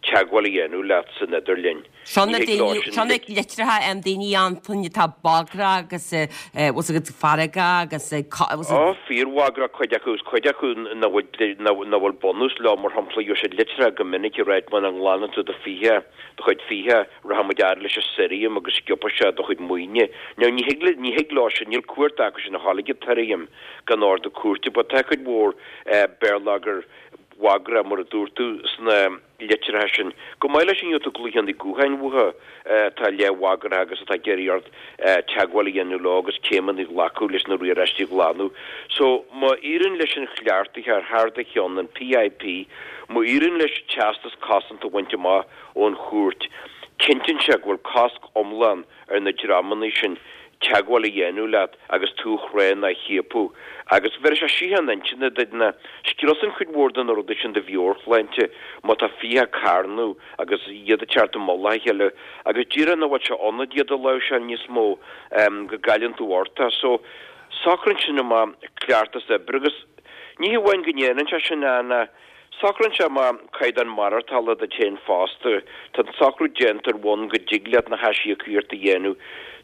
teagmháil a dhéanamh leat san idirlinn. Seo na daoine, seo na litreacha em daoine Antain atá bagrach agus bhfuil fhios agat feargach agus Ó, fíorbhagrach cuid acu agus cuid acu nach bhfuil, nach bhfuil bunús leo, mar shampla, gheobhaidh siad litreacha go minic ag ráit muna nglanann tú do fiacha, do chuid fiacha, rachaidh muid fhad leis an sirriam agus sciobfaidh sé do chuid maoine. Now ní thig le, ní thig leo sin, níl cumhacht acu sin a ghabháil ag an tsirriam gan ordú cúirte, but tá cuid mhór béarlagair bhagrach, mar a dúirt tú, sna litreacha sin. Chomh maith leis sin, gheobhaidh tú glaochanna gutháin uathu atá leathbhagrach agus atá ag iarraidh ort teagmháil a dhéanamh leo agus céimeanna a ghlacadh leis na riaráistí a ghlanadh. So, má éiríonn leis an chleachtóir thar do cheann, an PIP, má éiríonn leis teastas cosanta a bhaint amach ón chúirt, cinntíonn sé go bhfuil cosc iomlán ar na dreamanna sin teagmháil a dhéanamh leat agus tú a chrá ná a chiapadh. Agus bhéarfaidh sé síocháin intinne duit ná scriosann cuid mhór de na rudaí sin do mheabhairshláinte má tá fiacha ag carnadh agus iad ag teacht i mullach a chéile agus díreach nach bhfuil sé ionat iad a láimhseáil níos mó go gcailleann tú ort é. So, socraíonn sin amach cleachtas oibre agus ní hamháin go ndéanann sé sin ach Socraíonn sé amach caighdeán maireachtála duit féin fosta. Tá an socrú déanta ar bhonn go dtig leat na haisíocaíochtaí a dhéanamh.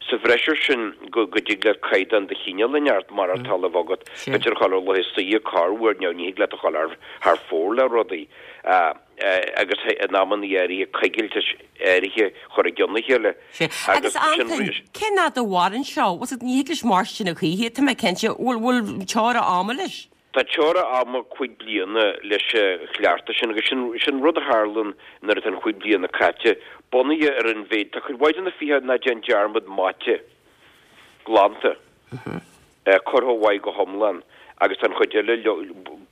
Sa bhreis air sin, go dtig leat caighdeán de chineál inteacht maireachtála a bheith agat. B'fhéidir a ghabháil ar laetha saoire corruair, now ní thig leat a ghabháil thar fóir le rudaí, agus in amanna áirithe coigiltis áirithe a chur i gcionn a chéile. Agus Antain, cén fhad a mhaireann seo? Ní thig leis mairstin a choíche, tá mé cinnte. Bhfuil teora ama leis? Tá teora ama chúig bliana leis an chleachtas sin agus sin rud a tharlaíonn nuair atá an chúig bliana caite, bunaithe ar an mhéid, tá cuid mhaith de na fiacha ná déan dearmad maite, glanta, curtha uaidh go hiomlán agus tá an chuid eile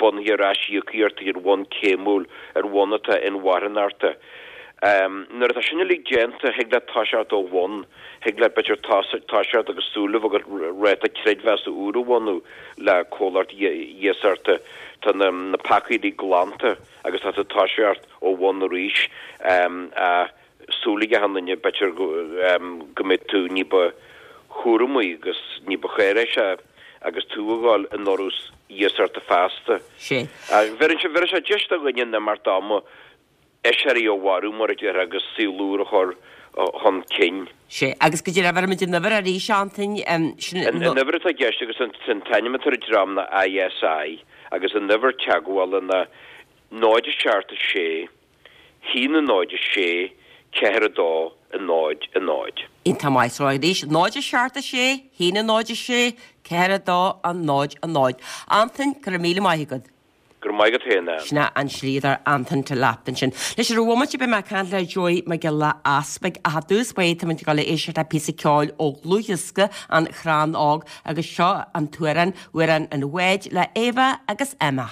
bunaithe ar aisíocaíochtaí ar bhonn céimiúil, ar bhonn atá inmharthanachta. Nuair atá sin uilig déanta, thig leat toiseacht ó bhun, thig leat b'fhéidir toiseacht agus súil a bheith agat ráta creidmheasa úr a bhunú le comhlacht iasachta. Tá na peacaí uilig glanta agus tá tú ag toiseacht ó bhun arís. Súil ag achan duine b'fhéidir go mbeidh tú ní ba chúramaí agus ní ba cháiréisí agus tú ag dul in urrús iasachta feasta. Bheireann sé deis do dhuine an imeacht ama aiséirí a mharú, mar a déarfá, agus saol úr a chur chun cinn. Sea, agus go deimhin, bheirfimid an uimhir arís, Antain, sin an. An uimhir atá i gceist agus an t-ainm atá ar an dream ná ISI agus an uimhir teagmhála ná 0 7 6 1 0 6 4 2 0 0. Iontach maith, so arís, 0 7 6 1 0 6 4 2 0 0. Antain, go raibh míle maith agat. Go raibh maith agat féin, Ann. Sin é an slíodóir Antain Delap ansin. Anois ar bhomaite beidh mé ag caint le Joey Mac Giolla Easpaig ach i dtús báire táimid ag dul a éisteacht le píosa ceoil ó dhlúthdhiosca An Crann Óg agus seo an t-amhrán, Amhrán an Bháid le Éabha agus Emma.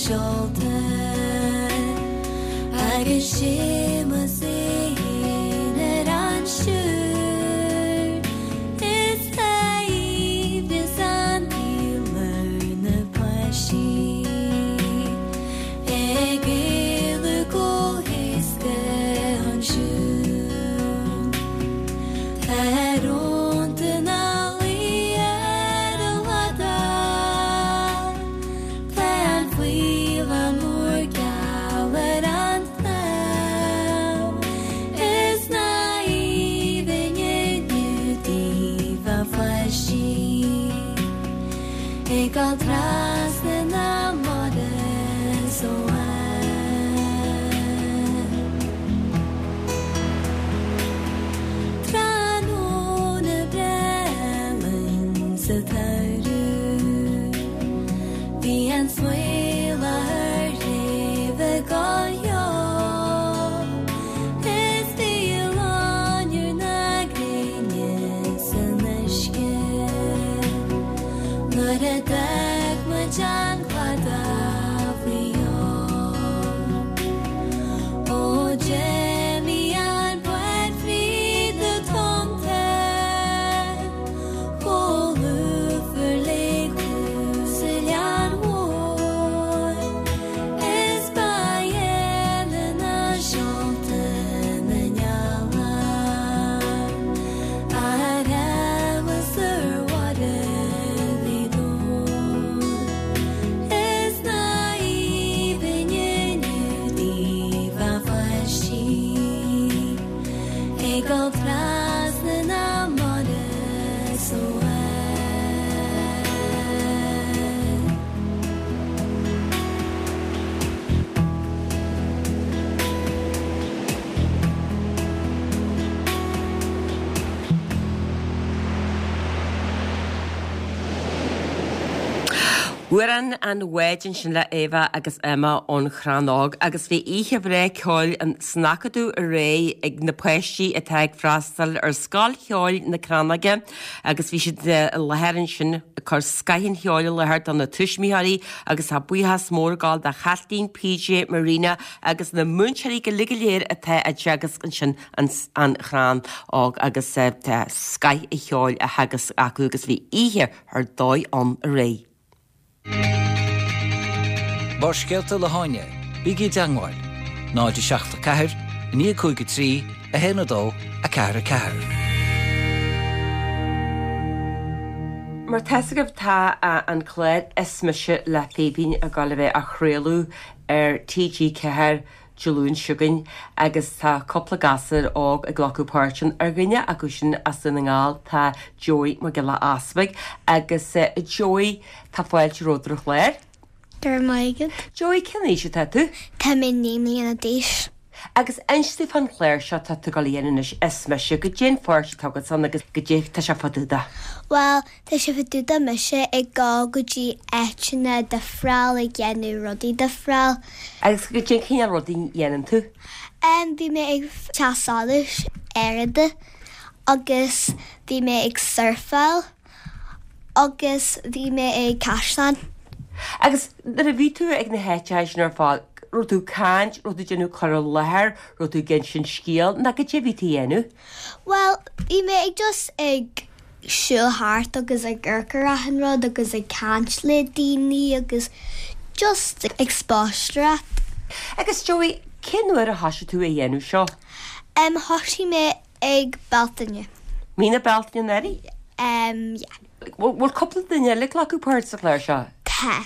seolta agus Séamus é fhéin ar an stiúir is tá aoibhneas an tsaoil ar na páistí ag éalú go héasca ansiúd. Tá rónta ina luí ar an gcladach, tá an faoileán mór geal ar an tsnámh, is lá aoibhinn inniu daoibh a pháistí, ag dul trasna na mara is ó Tráthnóna breá álainn sa tsamhradh, bhí an smaothla ar shléibhe go leo, is bhí loinnir na gréine san uisce nuair a d'fhág muid an cladach faoi dhó. Ó d'imigh an bád fríd na tonnta chomh lúfar le cluas oileáin mhóir is ba gheala ná seolta na ngealach ar amhas ar mhuire Ghaoth Dobhair. Is lá aoibhinn inniu daoibh a pháistí ag dul trasna na mara is ó Amhrán an Bháid ansin le Éabha agus Emma ón Chrann Óg agus bhí oíche bhreá ceoil san Acadamh aréir ag na páistí atá ag freastal ar Scoil Cheoil na Crannóige agus bhí siad i láthair ansin ag cur scoth an cheoil i láthair do na tuismitheoirí agus tá buíochas mór ag gabháil do Chaitlín, PJ, Marina agus na múinteoirí go uilig go léir atá ag teagasc ansin an Chrann Óg agus tá scoth an cheoil á theagasc acu agus bhí oíche ar dóigh ann aréir. Barrscéalta le hÁine, bígí i dteangmháil, 0 7 4 9 5 3 1 2 4 4. Mar tá 'fhios agaibh tá an clár Is Mise le Fíbín ag gabháil a bheith á chraoladh ar TG4 Dé Luain seo chugainn agus tá cúpla gasúr óg ag glacadh páirt ann. Ar dhuine acu sin as Dún na nGall tá Joey Mac Giolla Easbuig agus Joey tá fáilte romhat ar an chlár. Go raibh maith agat. Joey, cén aois atá tú? Tá mé 9 mbliana d'aois. Agus inis domh fán chlár seo atá tú ag dul a dhéanamh anois, Is Mise, goidé an pháirt atá agat ann agus goidé tá sé fá dtaobh de. Bhuel, Tá sé fá dtaobh de mise ag dul go dtí áiteanna difreáil ag déanamh rudaí difreáil. Agus goidé an cineál rudaí a dhéanann tú? Em, bhí mé ag teach solais Fhárada agus bhí mé ag surfáil agus bhí mé ag caisleán. Agus nuair a bhí tú ag na háiteacha sin ar fad, raibh tú ag caint, raibh tú ag déanamh cur i láthair, raibh tú ag insint scéal, nó goidé a bhí tú a dhéanamh? Bhuel, bhí mé ag just ag siúl thart agus ag amharc ar achan rud agus ag caint le daoine agus just ag spaisteoireacht. Agus Joey, cén uair a thoisigh tú a dhéanamh seo? Em, thoisigh mé ag Bealtaine. Mí na Bealtaine anuraidh? Em, yeah. Bhfuil cúpla duine eile ag glacadh páirt sa chlár seo? Tá.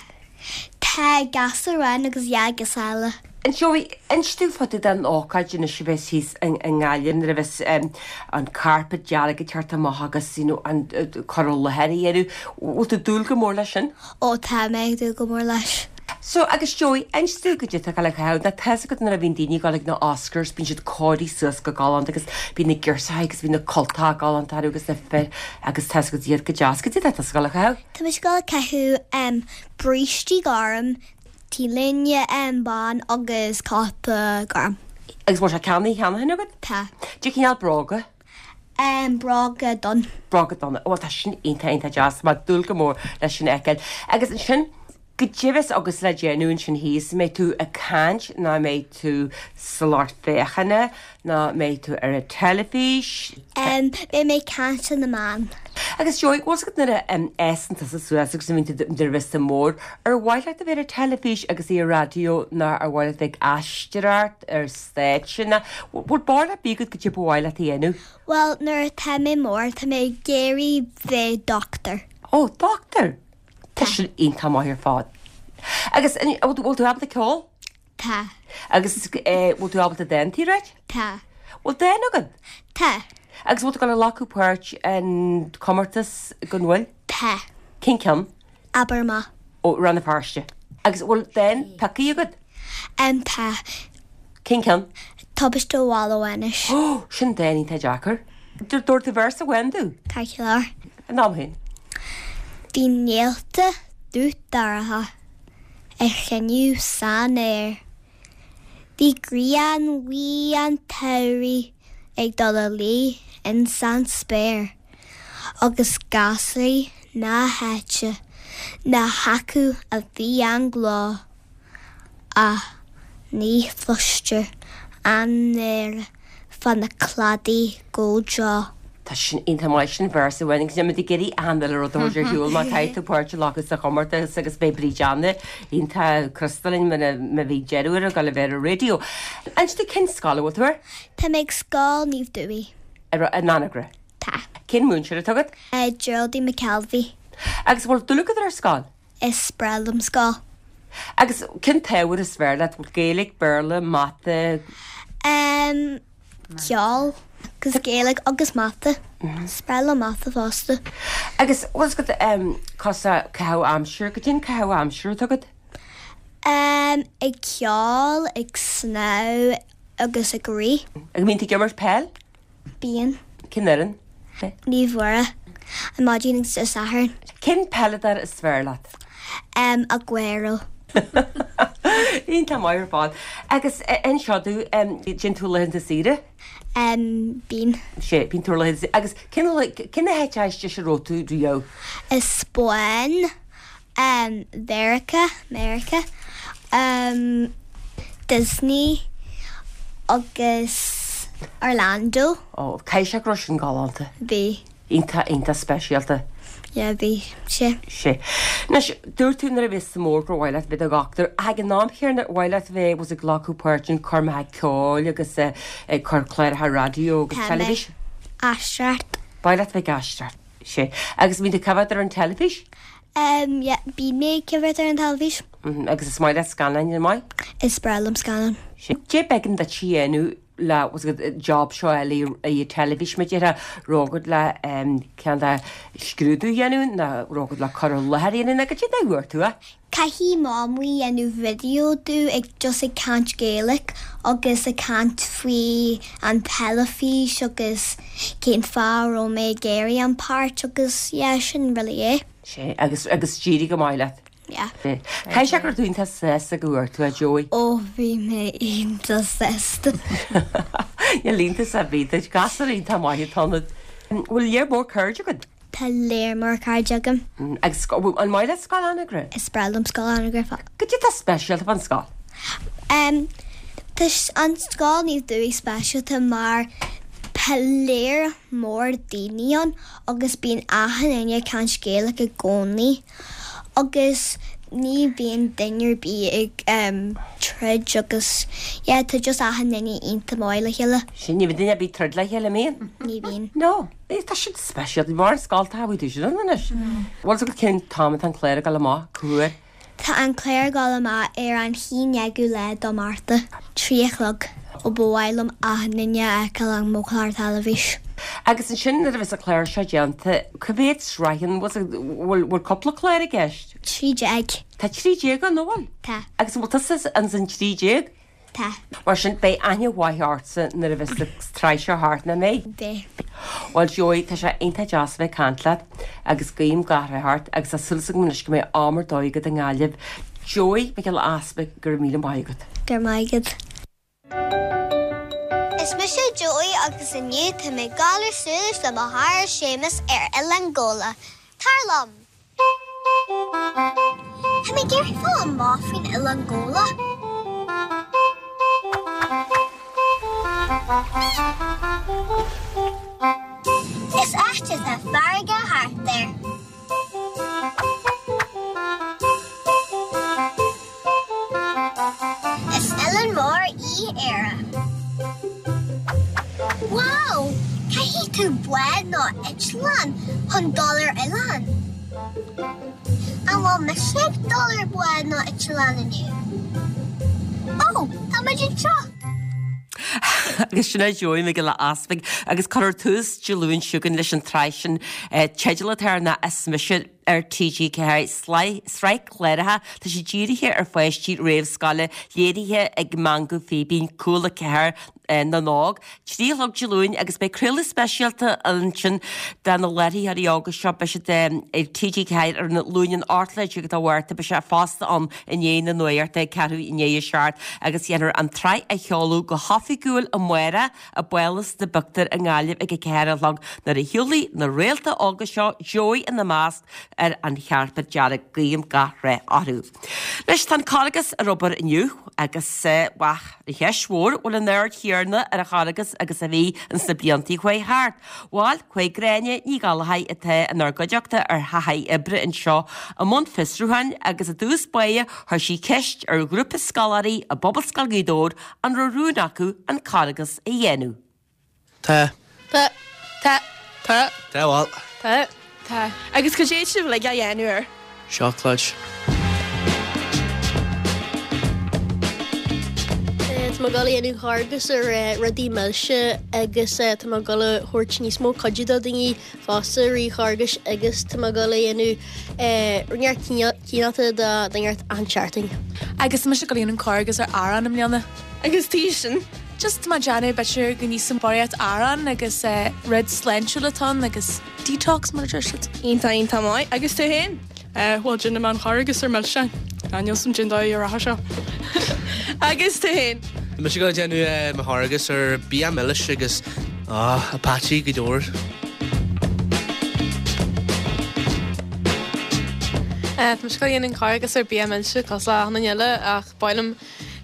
Tá gasúr amháin agus dhá ghasúr eile. Joey, inis domh fá dtaobh den ócáid anois a bheas thíos i nGaillimh nuair a bheas an carpet dearg ag teacht amach agus you know an cur i láthair a dhéanamh. Bhfuil tú ag dúil go mór leis sin? Ó tá mé ag dúil go mór leis. So, agus Joey, inis domh goidé atá ag dul a chaitheamh. Now tá 'fhios agat nuair a bhíonn daoine ag dul ag na Oscars bíonn siad cóirithe suas go galánta agus bíonn na girseachaí agus bíonn na cultacha galánta orthu agus na fir agus tá 'fhios agat iad go deas. Goidé atá tusa ag dul a chaitheamh? Tá mise ag dul a caitheamh brístí gorm, T-léine bán agus cóta gorm. Agus bhfuil sé ceannaithe cheana féin agat? Tá. Cén cineál bróga? Bróga donn. Bróga donna. Bhuel tá sin iontach iontach deas. Tá mé ag dúil go mór leis sin a fheiceáil. Agus ansin. Goidé a bheas agatsa le déanamh ansin thíos, an mbeidh tú ag caint nó an mbeidh tú sa lucht féachana nó an mbeidh tú ar an teilifís? Beidh mé ag caint ar na meáin. Agus Joey, bhfuil 's agat nuair a fhásann tusa suas agus a bhíonn tú nuair a bheas tú mór, ar mhaith leat a bheith ar an teilifís agus ar an raidió nó ar mhaith leat a bheith ag aisteoireacht ar stáitse nó bhfuil barúil ar bith agat goidé ba mhaith leat a dhéanamh? Bhuel, nuair atá mé mór, tá mé ag iarraidh bheith doctor. Ó, doctor! Tá sin iontach maith ar fad. Agus an bhfuil tú ábalta ceol? Tá. Agus bhfuil tú ábalta dántaí a ráit? Tá. Bhfuil dán agat? Tá. Agus bhfuil tú ag dul a ghlacadh páirt in comórtas go bhfuil? Tá. Cén ceann? Abair Amach. Ó, Rann na Feirste. Agus bhfuil dán pioctha agat? Tá. Cén ceann? Tubaiste Bhaile Mhánais. Ó, sin dán iontach deacair. Dúirt tú véarsa amháin domh. Ceart go leor. In am féin. Bhí néalta dubh dorcha ag cruinniú san aer. Bhí grian bhuí an tsamhraidh ag dul a luí ins an spéir agus gasraí na háite ní hacu a bhí an gleo. Ach ní chloistear an náire fá na cladaí go deo. Tá sin iontach maith, sin véarsa amháin agus níl muid ag iarraidh achan uile rud a thabhairt ar shiúl má caithfidh tú páirt a ghlacadh sa chomórtas agus beidh Bríd Anna iontach crosta linn má bhí deireadh ar a ghoil a bheith ar an raidió. Inis domh cén scoil a bhfuil tú air? Tá mé ag Scoil Naomh Dubhthaigh. In Anagaire? Tá. Cén múinteoir atá agat? Geraldine McKelvey. Agus bhfuil dúil agat ar scoil? Is breá liom scoil. Agus cén t-ábhar is fearr leat? Bhfuil Gaeilge, Béarla, Mata? Em, ceol agus Gaeilge agus Mata. Is breá liom Mata fosta. Agus bhfuil 's agat, em, cúrsaí caitheamh aimsire, goidé an caitheamh aimsire atá agat? Em, ag ceol, ag snámh agus ag rith. Agus mbíonn tú ag imirt peil? Bíonn. Cén fhoireann? Naomh Mhuire. An maidin agus Dé Sathairn. Cén peileadóir is fearr leat? Em, Aguero. Iontach maith ar fad. Agus inis domh, dtéann tú laethanta saoire? Em, bíonn. Sea, bíonn tú ar laethanta saoire. Agus cén, cén háit is deise a raibh tú riamh? An Spáinn. Mheiriceá, Meiriceá, Disney agus Orlando. Ó, caithfidh sé go raibh sin galánta. Bhí. Iontach, iontach speisialta. Yeah, bhí sé. Sea. Anois, dúirt tú nuair a bheas tú mór gur mhaith leat bheith i do dhochtúir, ach ag an am chéanna ar mhaith leat bheith was ag glacadh páirt in coirmeacha ceoil agus ag cur cláracha raidió agus Tá mé. teilifís? Aisteoireacht. Ba mhaith leat bheith ag aisteoireacht. Sea. Agus bíonn tú ag coimhéad ar an teilifís? Em, yeah, bíonn mé ag coimhéad ar an teilifís. Mhm, agus is maith leat scannáin, an maith? Is breá liom scannáin. Sea. Cad é b'éigean duit a dhéanamh le, was it, job seo a fháil ar an teilifís, mar a déarfá, raibh agat le, em, ceann de scrúdú a dhéanamh nó raibh agat le cur i láthair a dhéanamh nó goidé a fuair tú, eh? Caithfidh Mamaí dhéanamh video domh ag just ag caint Gaeilic agus ag caint faoi an teilifís agus cén fáth a raibh mé ag iarraidh an páirt agus yeah sin really é. Sea, agus, agus d'éirigh go maith leat. Yeah. Caithfidh sé go raibh tú iontach sásta go bhfuair tú é, Joey. Ó bhí mé iontach sásta. Níl iontas ar bith duit, gasúr iontach maith atá ionat. Bhfuil lear mór cairde agat? Tá lear mór cairde agam. Agus an maith leat Scoil Anagaire? Is breá liom Scoil Anagaire. Goidé atá speisialta fán scoil? Em, tá an scoil Naomh Dubhthaigh speisialta mar tá lear mór daoine ann agus bíonn achan duine ag caint Gaeilge i gcónaí agus ní bhíonn duine ar bith ag em troid agus yeah tá just achan duine iontach maith le chéile. Sin, ní bhíonn duine ar bith ag troid le chéile, an mbíonn? Ní bhíonn. No. Tá sin speisialta. Mar an scoil tá tú sin ann anois. Bhfuil fhios agat cén t-am atá an clár ag dul amach, cá huair? Tá an clár ag dul amach ar an haon déagiú lá do Márta, 3 a chlog. Ó ba mhaith liom achan duine a fheiceáil ar mo chlár teilifís. Agus ansin nuair a bheas an clár seo déanta, cá mhéad sraitheanna, bhfuil bhfuil cúpla clár i gceist? 13. Tá 13 ann, an bhfuil? Tá. Agus an bhfuil tusa ins an 13? Tá. Mar sin, beidh aithne mhaith ortsa nuair a bheas an tsraith seo thart, nach mbeidh? Beidh. Bhuel, Joey, tá sé iontach deas a bheith ag caint leat agus guím gach rath ort agus tá súil agam anois go mbeidh am ar dóigh agat i nGaillimh. Joey Mhic Giolla Easpaig, go raibh míle maith agat. Go raibh maith agat. Is mise Joey agus inniu tá mé ag dul ar suaimhneas le mo chara Séamus ar Oileán Ghabhla. Tar liom! Tá mé ag iarraidh fáil amach faoin Oileán Ghabhla. Is áit atá farraige thart air. Is oileán mór í Éire. Wow! Caithfidh tú bád nó eitleán chun dul ar oileán. An bhfuil mise ag dul ar bád nó eitleán inniu? Ó, tá muid anseo! Agus sin é Joey Mac Giolla Easpaig agus cuirfear tús Dé Luain seo chugainn leis an tsraith sin. Teideal atá air ná Is Mise ar TG4, sraith cláracha, tá sé dírithe ar pháistí réamhscoile, léirithe ag Meangadh Fíbín, Cúla 4 na nÓg, 3 a chlog Dé Luain agus beidh craoladh speisialta ansin de na láithreoirí óga seo, beidh siad ar TG4 ar an Luan an 18 lá de Mhárta, beidh sé fosta ann i ndiaidh na nuachta ag ceathrú i ndiaidh a seacht agus dhéanfar an tsraith a sheoladh go hoifigiúil amárach i bPálás na bPictiúr i nGaillimh ag a 4 a chlog nuair a shiúlfaidh na réalta óga seo, Joey ina measc, ar an chairpéad dearg. Guím gach rath orthu. Anois tá an Carghas ar obair inniu agus, bhuel, an cheist mhór, bhfuil an aird chéanna ar an Charghas agus a bhí ins na blianta a chuaigh thart? Bhuel, chuaigh Gráinne Ní Ghallchóir atá inár gcuideachta ar thaithí oibre anseo i mbun fiosrúcháin agus i dtús báire chuir sí ceist ar ghrúpa scoláirí i bPobalscoil Ghaoth Dobhair an raibh rún acu an Carghas a dhéanamh. Tá. Tá. Tá. Tá. Tá, bhuel. Tá. Tá. Agus cad é atá sibh uilig á dhéanamh air? Seacláid. Tá mé ag dul a dhéanamh Carghas ar rudaí milse agus tá mé ag dul a thabhairt níos mó cuidiú do daoine fosta i rith Charghais agus tá mé ag dul a dhéanamh neart cineálta do neart achan seachtain. Agus tá mise ag dul a dhéanamh Carghas ar arán i mbliana. Agus tuige sin? Just tá mé ag déanamh b'fhéidir go n-íosfainn barraíocht arán agus rud sláintiúil atá ann agus detox mar a deir siad. Iontach iontach maith. Agus tú féin? Bhuel déanfaidh mé an Carghas ar milseáin. Níl 's a'm cén dóigh a rachaidh seo. Agus tú féin? Tá mise ag dul a déanamh mo Charghas ar bia milis agus Apache go leor. Tá mise ag dul a dhéanamh an Carghas ar bia milse cosúil le achan duine eile ach ba mhaith liom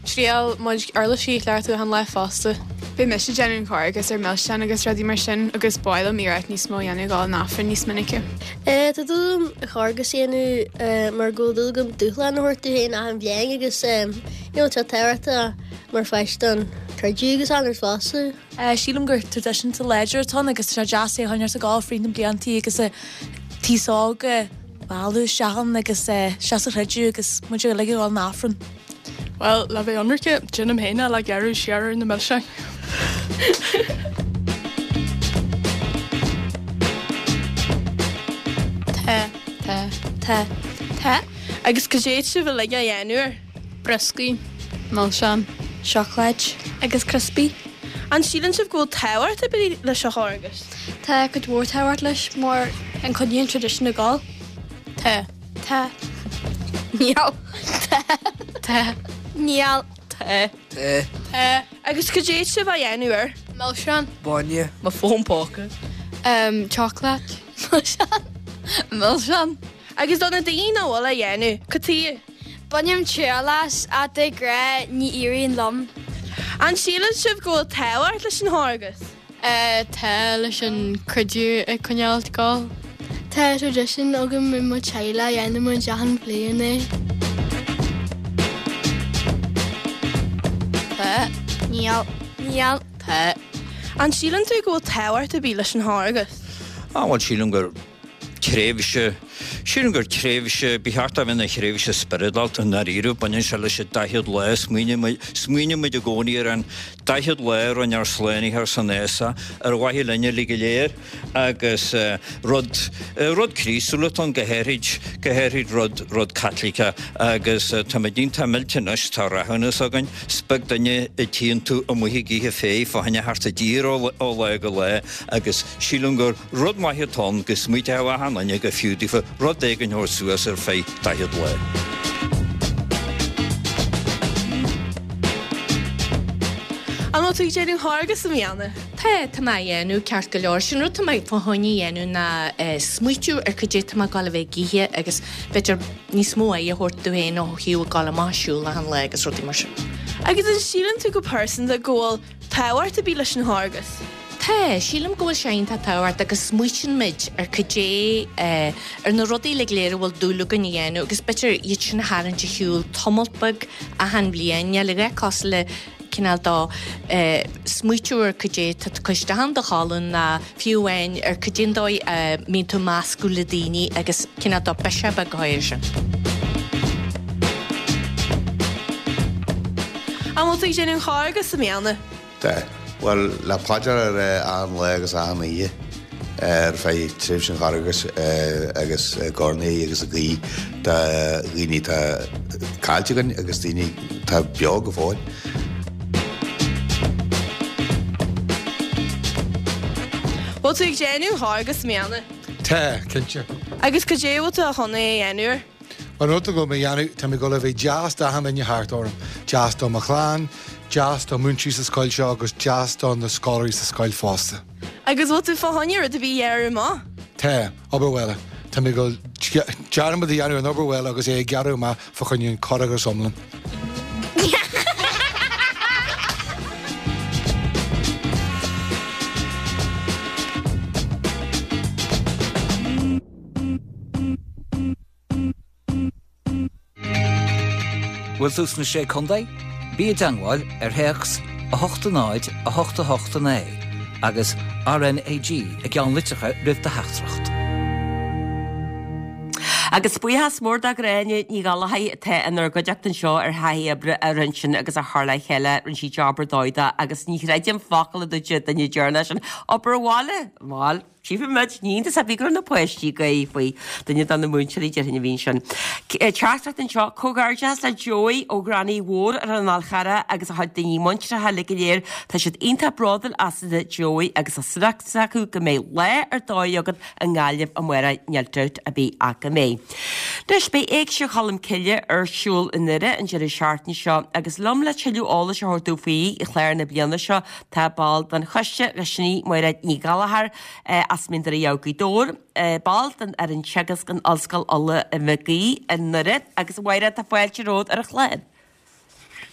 triail mo chuid uirlisí a chleachtadh achan lá fosta. Beidh mise ag déanamh an Charghas ar milseáin agus rudaí mar sin agus ba mhaith liom iarracht níos mó a dhéanamh dul an Aifreann níos minice. Tá dúil agam an Charghas a dhéanamh mar go bhfuil dúil agam dúshlán a thabhairt domh féin achan bhliain agus you know tá tábhachtach mar pháiste don creideamh agus an rud fosta. Sílim gur traidisiún láidir atá ann agus tá sé deas é a choinneáil ag gabháil fríd na blianta agus an t-aos óg a mhealladh isteach ann agus isteach sa chreideamh agus muid uilig ag dul an Aifreann. Bhuel, le bheith ionraice, déanaim féin é le gearradh siar ar na milseáin. Tá. Tá. Tá. Tá. Agus cad é atá sibh uilig á dhéanamh air? Brioscaí. Milseáin. Seacláid. Agus criospaí. An síleann sibh go bhfuil tábhacht ar bith leis an Charghas? Tá cuid mhór tábhacht leis mar an coinníonn tradition ag gabháil. Tá. Tá. Níl. Tá. Tá. Níl. Tá. Tá. Tá. Agus cad é atá sibh á dhéanamh air? Milseáin. Bainne. Mo fón póca. Um, chocolate. Milseáin. Milseáin. Agus do na daoine nach bhfuil á dhéanamh, cad chuige? Bainim triail as, ach de ghnáth ní éiríonn liom. An síleann sibh go bhfuil tábhacht leis an Charghas? Tá, leis an creideamh a choinneáil ag gabháil. Tá tradition agam i mo teaghlach, dhéanann muid achan bhliain é. Tá. Níl. Níl. Tá. An síleann tú go bhfuil tábhacht ar bith leis an Charghas? Á bhuel sílim gur tréimhse, sílim gur tréimhse, ba cheart é a bheith ina thréimhse spioradálta i ndáiríre, baineann sé leis an daichead lá, smaoiníonn muid i gcónaí ar an daichead lá a rinne ár Slánaitheoir san fhásach ar mhaithe linn uilig go léir agus rud, rud Críostúil atá ann go háirid, go háirid rud, rud Caitliceach agus táimid iontach millte anois, tá rathúnas againn, is beag duine a tchíonn tú amuigh ag ithe féith fá choinne theacht i dtír ó lá go lá agus sílim gur Rud maith atá ann go smaointeodh achan duine gur fiú daofa rud éigin a thabhairt suas ar feadh 40 lá. An bhfuil tú ag déanamh Charghas i mbliana? Tá, tá mé á dhéanamh, ceart go leor. Sin rud tá mé fá choinne a dhéanamh ná smaoitiú ar cad é tá mé ag dul a bheith ag ithe agus b'fhéidir níos mó aghaidh a thabhairt domh féin ó thaobh ag dul amach ag siúl achan lá agus rudaí mar sin. Agus an síleann tú go pearsanta go bhfuil tábhacht ar bith leis an Charghas? Tá, sílim go bhfuil sé iontach tábhachtach agus smaoitíonn muid ar cad é, ar na rudaí uilig go léir a bhfuil dúil againn a dhéanamh agus b'fhéidir iad sin a tharraingt ar shiúl tamalt beag achan bhliain, níl a dhath cosúil le cineál de smaoitiú ar cad é tá tú ag cur isteach in do cholainn ná fiú amháin ar cad é an dóigh a mbíonn tú ag meascadh le daoine agus cineál de biseach beag a chur air sin. An bhfuil tú ag déanamh an Charghas i mbliana? Tá. Bhuel, le paidir a rá achan lá agus achan oíche ar feadh tréimhse an Charghais agus ag urnaí agus ag guí do dhaoine atá caillte againn agus daoine atá beo go fóill. Bhfuil tú ag déanamh an Charghas i mbliana? Tá, cinnte. Agus cad é a bhfuil tú a chun é a dhéanamh air? An rud atá mé ag dul a dhéanamh, tá mé ag dul a bheith deas d'achan duine thart orm. Deas do mo chlann, deas do múinteoirí sa scoil seo agus deas do na scoláirí sa scoil fosta. Agus bhfuil tú fá choinne rud ar bith a ghearradh amach? Tá, obair bhaile. Tá mé ag dul dearmad a dhéanamh ar an obair bhaile agus é a ghearradh amach fá choinne an Carghas iomlán. Bhfuil tú sna Sé Contae? Bí i dteangmháil ar théacs 8 0 8 8 9 agus RNAG i gceannlitreacha roimh do theachtaireacht. Agus buíochas mór do Ghráinne Ní Ghallchóir atá inár gcuideachta anseo ar thaithí oibre a rinne sin agus a chur le chéile, rinne sí job ar dóigh de agus ní chreidim focal a dúirt an duine deireanach sin, obair bhaile, bhuel. Tchífimid, ní iontas ar bith go raibh na páistí ag gáire faoi. Duine de na múinteoirí déarfainn a bhí ansin. Teachtaireacht anseo, Comhghairdeachas le Joey ó Ghreanaigh Mhór ar an Fhál Charrach agus a chuid daoine muinteartha uilig go léir. Tá siad iontach bródúil asat Joey agus tá súil acu go mbeidh lá ar dóigh agat i nGaillimh amárach, níl dabht ar bith ach go mbeidh. Anois beidh Éigse Cholm Cille ar siúl i nDoire an deireadh seachtaine seo agus liom le tuilleadh eolais a thabhairt dúinn faoi chlár na bliana seo Tá ball den choiste leis sin í Máiréad Ní Ghallchóir as Mín Doire Ghaoth Dobhair, ball den fhoireann teagaisc in Ollscoil Uladh i Mhic Aoidh i nDoire agus a Mháiréad tá fáilte romhat ar an chlár.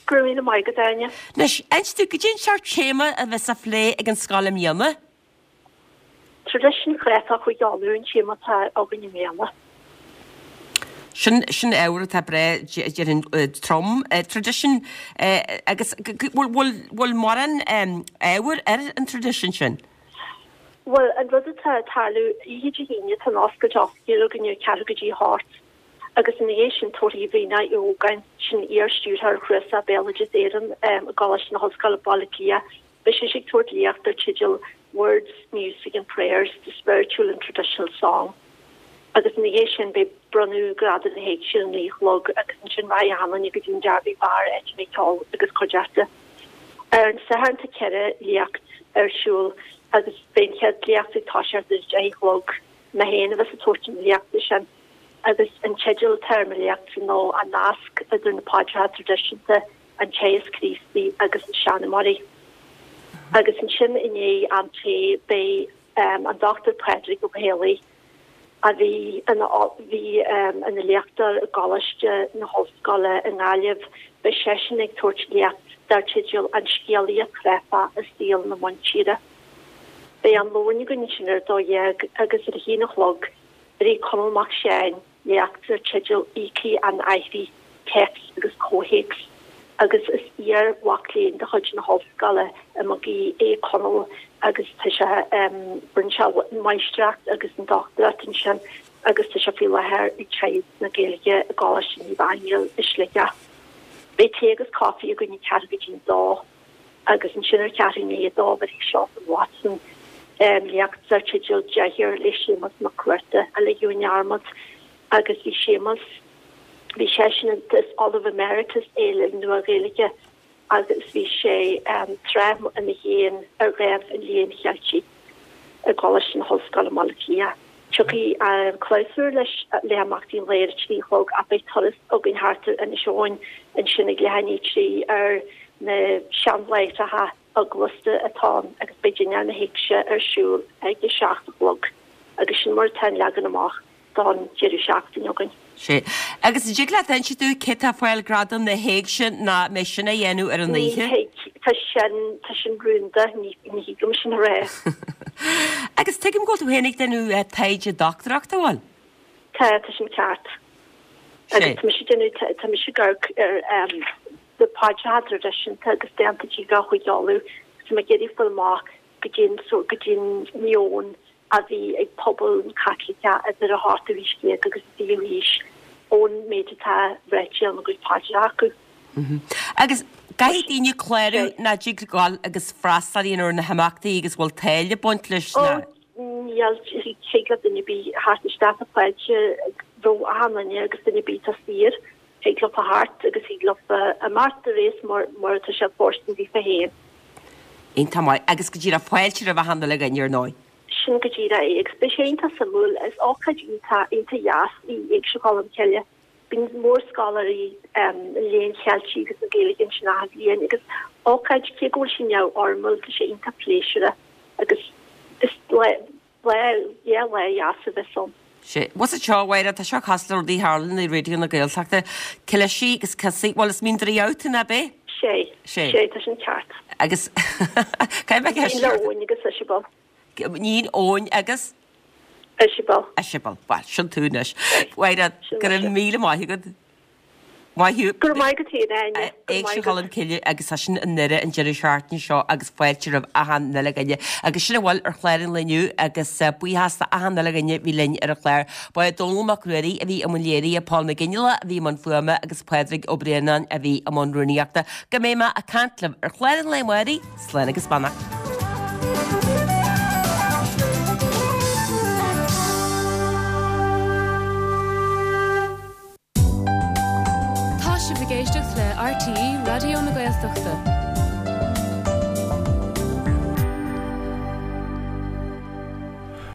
Go raibh míle maith agat, Áine. Anois, inis dúinn, cad é an seort téama a bheas á phlé ag an scoil i mbliana? Traidisiún Chreatlach Chúige Uladh an téama atá againn i mbliana. Sin, sin ábhar atá breá, déarfainn, trom. Traidisiún, agus bhfuil, bhfuil, bhfuil mórán ábhair ar an traidisiún sin? Bhuel, an rud atá ag tarlú, oíche Dé hAoine tá an oscailt oifigiúil againn ar ceathrú go dtí a hocht agus ina dhiaidh sin tabharfaidh Ríona Uí Ógáin, sin iar-stiúrthóir Chnuasach Béaloideas Éireann i gColáiste na hOllscoile Baile Átha Cliath, Beidh sise ag tabhairt léacht dar teideal Words, Music and Prayers, The Spiritual and Traditional Song agus ina dhiaidh sin beidh bronnadh Gradam na hÉigse ar a naoi a chlog agus ansin raghaidh achan duine go dtí an Derby Bar áit a mbeidh ceol agus cuideachta. Ar an Satharn tá 4 léacht ar siúl agus beidh an chéad léacht ag toiseacht ar a deich a chlog. Mé féin a bheas ag tabhairt an léachta sin agus an teideal atá ar mo léachtsa ná An Nasc idir na Paidreacha Traidisiúnta an Teagasc Críostaí agus na Seanmóirí. Agus ansin i ndiaidh am tae beidh an Dr Pádraig Ó Héalaí, a bhí ina bhí ina léachtóir i gColáiste na hOllscoile i nGaillimh, beidh seisean ag tabhairt léacht dar teideal An Scéalaíocht Chráifeach i Saol na Muintire. Beidh am lóin againn ansin ar a 12 agus ar a haon a chlog beidh Conall Mac Seáin, léacht dar teideal Íocaí an Aithrí, Téacs agus Comhthéacs agus is iar-mhac léinn de chuid na hOllscoile i Mag Aoidh é Conall agus tá sé, rinne sé an mháistreacht agus an dochtúireacht ansin agus tá sé faoi láthair ag teagasc na Gaeilge i gColáiste Naomh Aingeal i Sligeach. Beidh tae agus caife againn ag ceathrú go dtí an dó. Agus ansin ar cheathrú i ndiaidh a dó bhéarfaidh Seosamh Watson léacht dar teideal Deartháir le Séamus Mac Cuarta a ligeadh i ndearmad agus bhí Séamus, bhí seisean, is Ollamh Emeritus é le Nua-Ghaeilge agus bhí sé tráth ina Dhéan ar Dhámh an Léinn Cheiltigh i gColáiste na hOllscoile i mBaile Átha Cliath. Tiocfaidh an clabhsúr leis le himeachtaí an lae ar a 3 a chlog ach beidh turas againn thart ar Inis Eoghain ansin ag leath i ndiaidh a 3 ar na seanláithreacha. Eaglasta atá ann agus beidh dinnéar na hÉigse ar siúl ag a 7 a chlog agus sin mar atá an leagan amach don deireadh seachtaine againn. Sea. Agus an dtig leat inse dúinn cé tá ag fáil gradam na hÉigse nó an mbeidh sin á dhéanamh ar an Ní oíche? thig, tá sin, tá sin rúnda, ní, ní thig liom sin a rá. Agus tuigim go bhfuil tú féin ag déanamh taighde dochtúireachta, an bhfuil? Tá, tá sin ceart. Agus tá mise ag déanamh, tá mise ag amharc ar na paidreacha traidisiúnta agus dánta díreach Chúige Uladh agus tá mé ag iarraidh fáil amach goidé an sórt, goidé an meon a bhí ag pobal an Chaitliceach idir an ochtú haois déag agus an fichiú haois ón méid atá ráite ina gcuid paidreacha acu. Agus caithfidh daoine clárú nó dtig gabháil agus freastal a dhéanamh ar na himeachtaí agus bhfuil táille ag baint leis nó? Níl, thig le duine ar bith theacht isteach tá fáilte roimh achan duine agus duine ar bith atá saor, thig leofa theacht agus thig leofa imeacht de réir mar mar atá sé fóirstean daofa féin. Iontach maith. Agus go díreach fáilte roimh achan uile dhuine ar ndóigh. Sin go díreach é agus beidh sé iontach suimiúil. Is ócáid iontach iontach dheas í Éigse Cholm Cille. Bíonn mórscoláirí an Léinn Cheiltigh agus na Gaeilge ansin achan bhliain agus ócáid, cé go bhfuil sí neamhfhoirmiúil, tá sé iontach pléisiúrtha agus is lá, lá, yeah, lá dheas a bheas ann. Sea. What's it seo, a Mháire, tá seo cosúil le rudaí a tharlaíonn i Raidió na Gaeltachta. Cliseadh agus ciosaí, bhuel is mín draoi tú, ná b'é? Sea. Sea. Sea, tá sin ceart. Agus caithfidh mé ceist Níl Eoin agus Isabel. Níl Eoin agus? Isabel. Isabel. Bhuel, sin tú anois. Mháire, go raibh míle maith agat. Maith thú. Go raibh maith agat féin, a Áine. Go raibh maith Éigse agat. Cholm Cille agus tá sin i nDoire an deireadh seachtaine seo agus fáilte roimh achan uile dhuine. Agus sin a bhfuil ar chlár an lae inniu agus buíochas d'achan uile dhuine a bhí linn ar an chlár. Ba é Dónall Mac Ruairí a bhí i mbun léirithe, Paul McGinley a bhí i mbun fuaime agus Pádraig Ó Braonáin a bhí i mbun rúnaíochta. Go mbeidh mé ag caint libh ar chlár an lae amárach. Slán agus beannacht. Tá sibh ag éisteacht le RTÉ Raidió na Gaeltachta.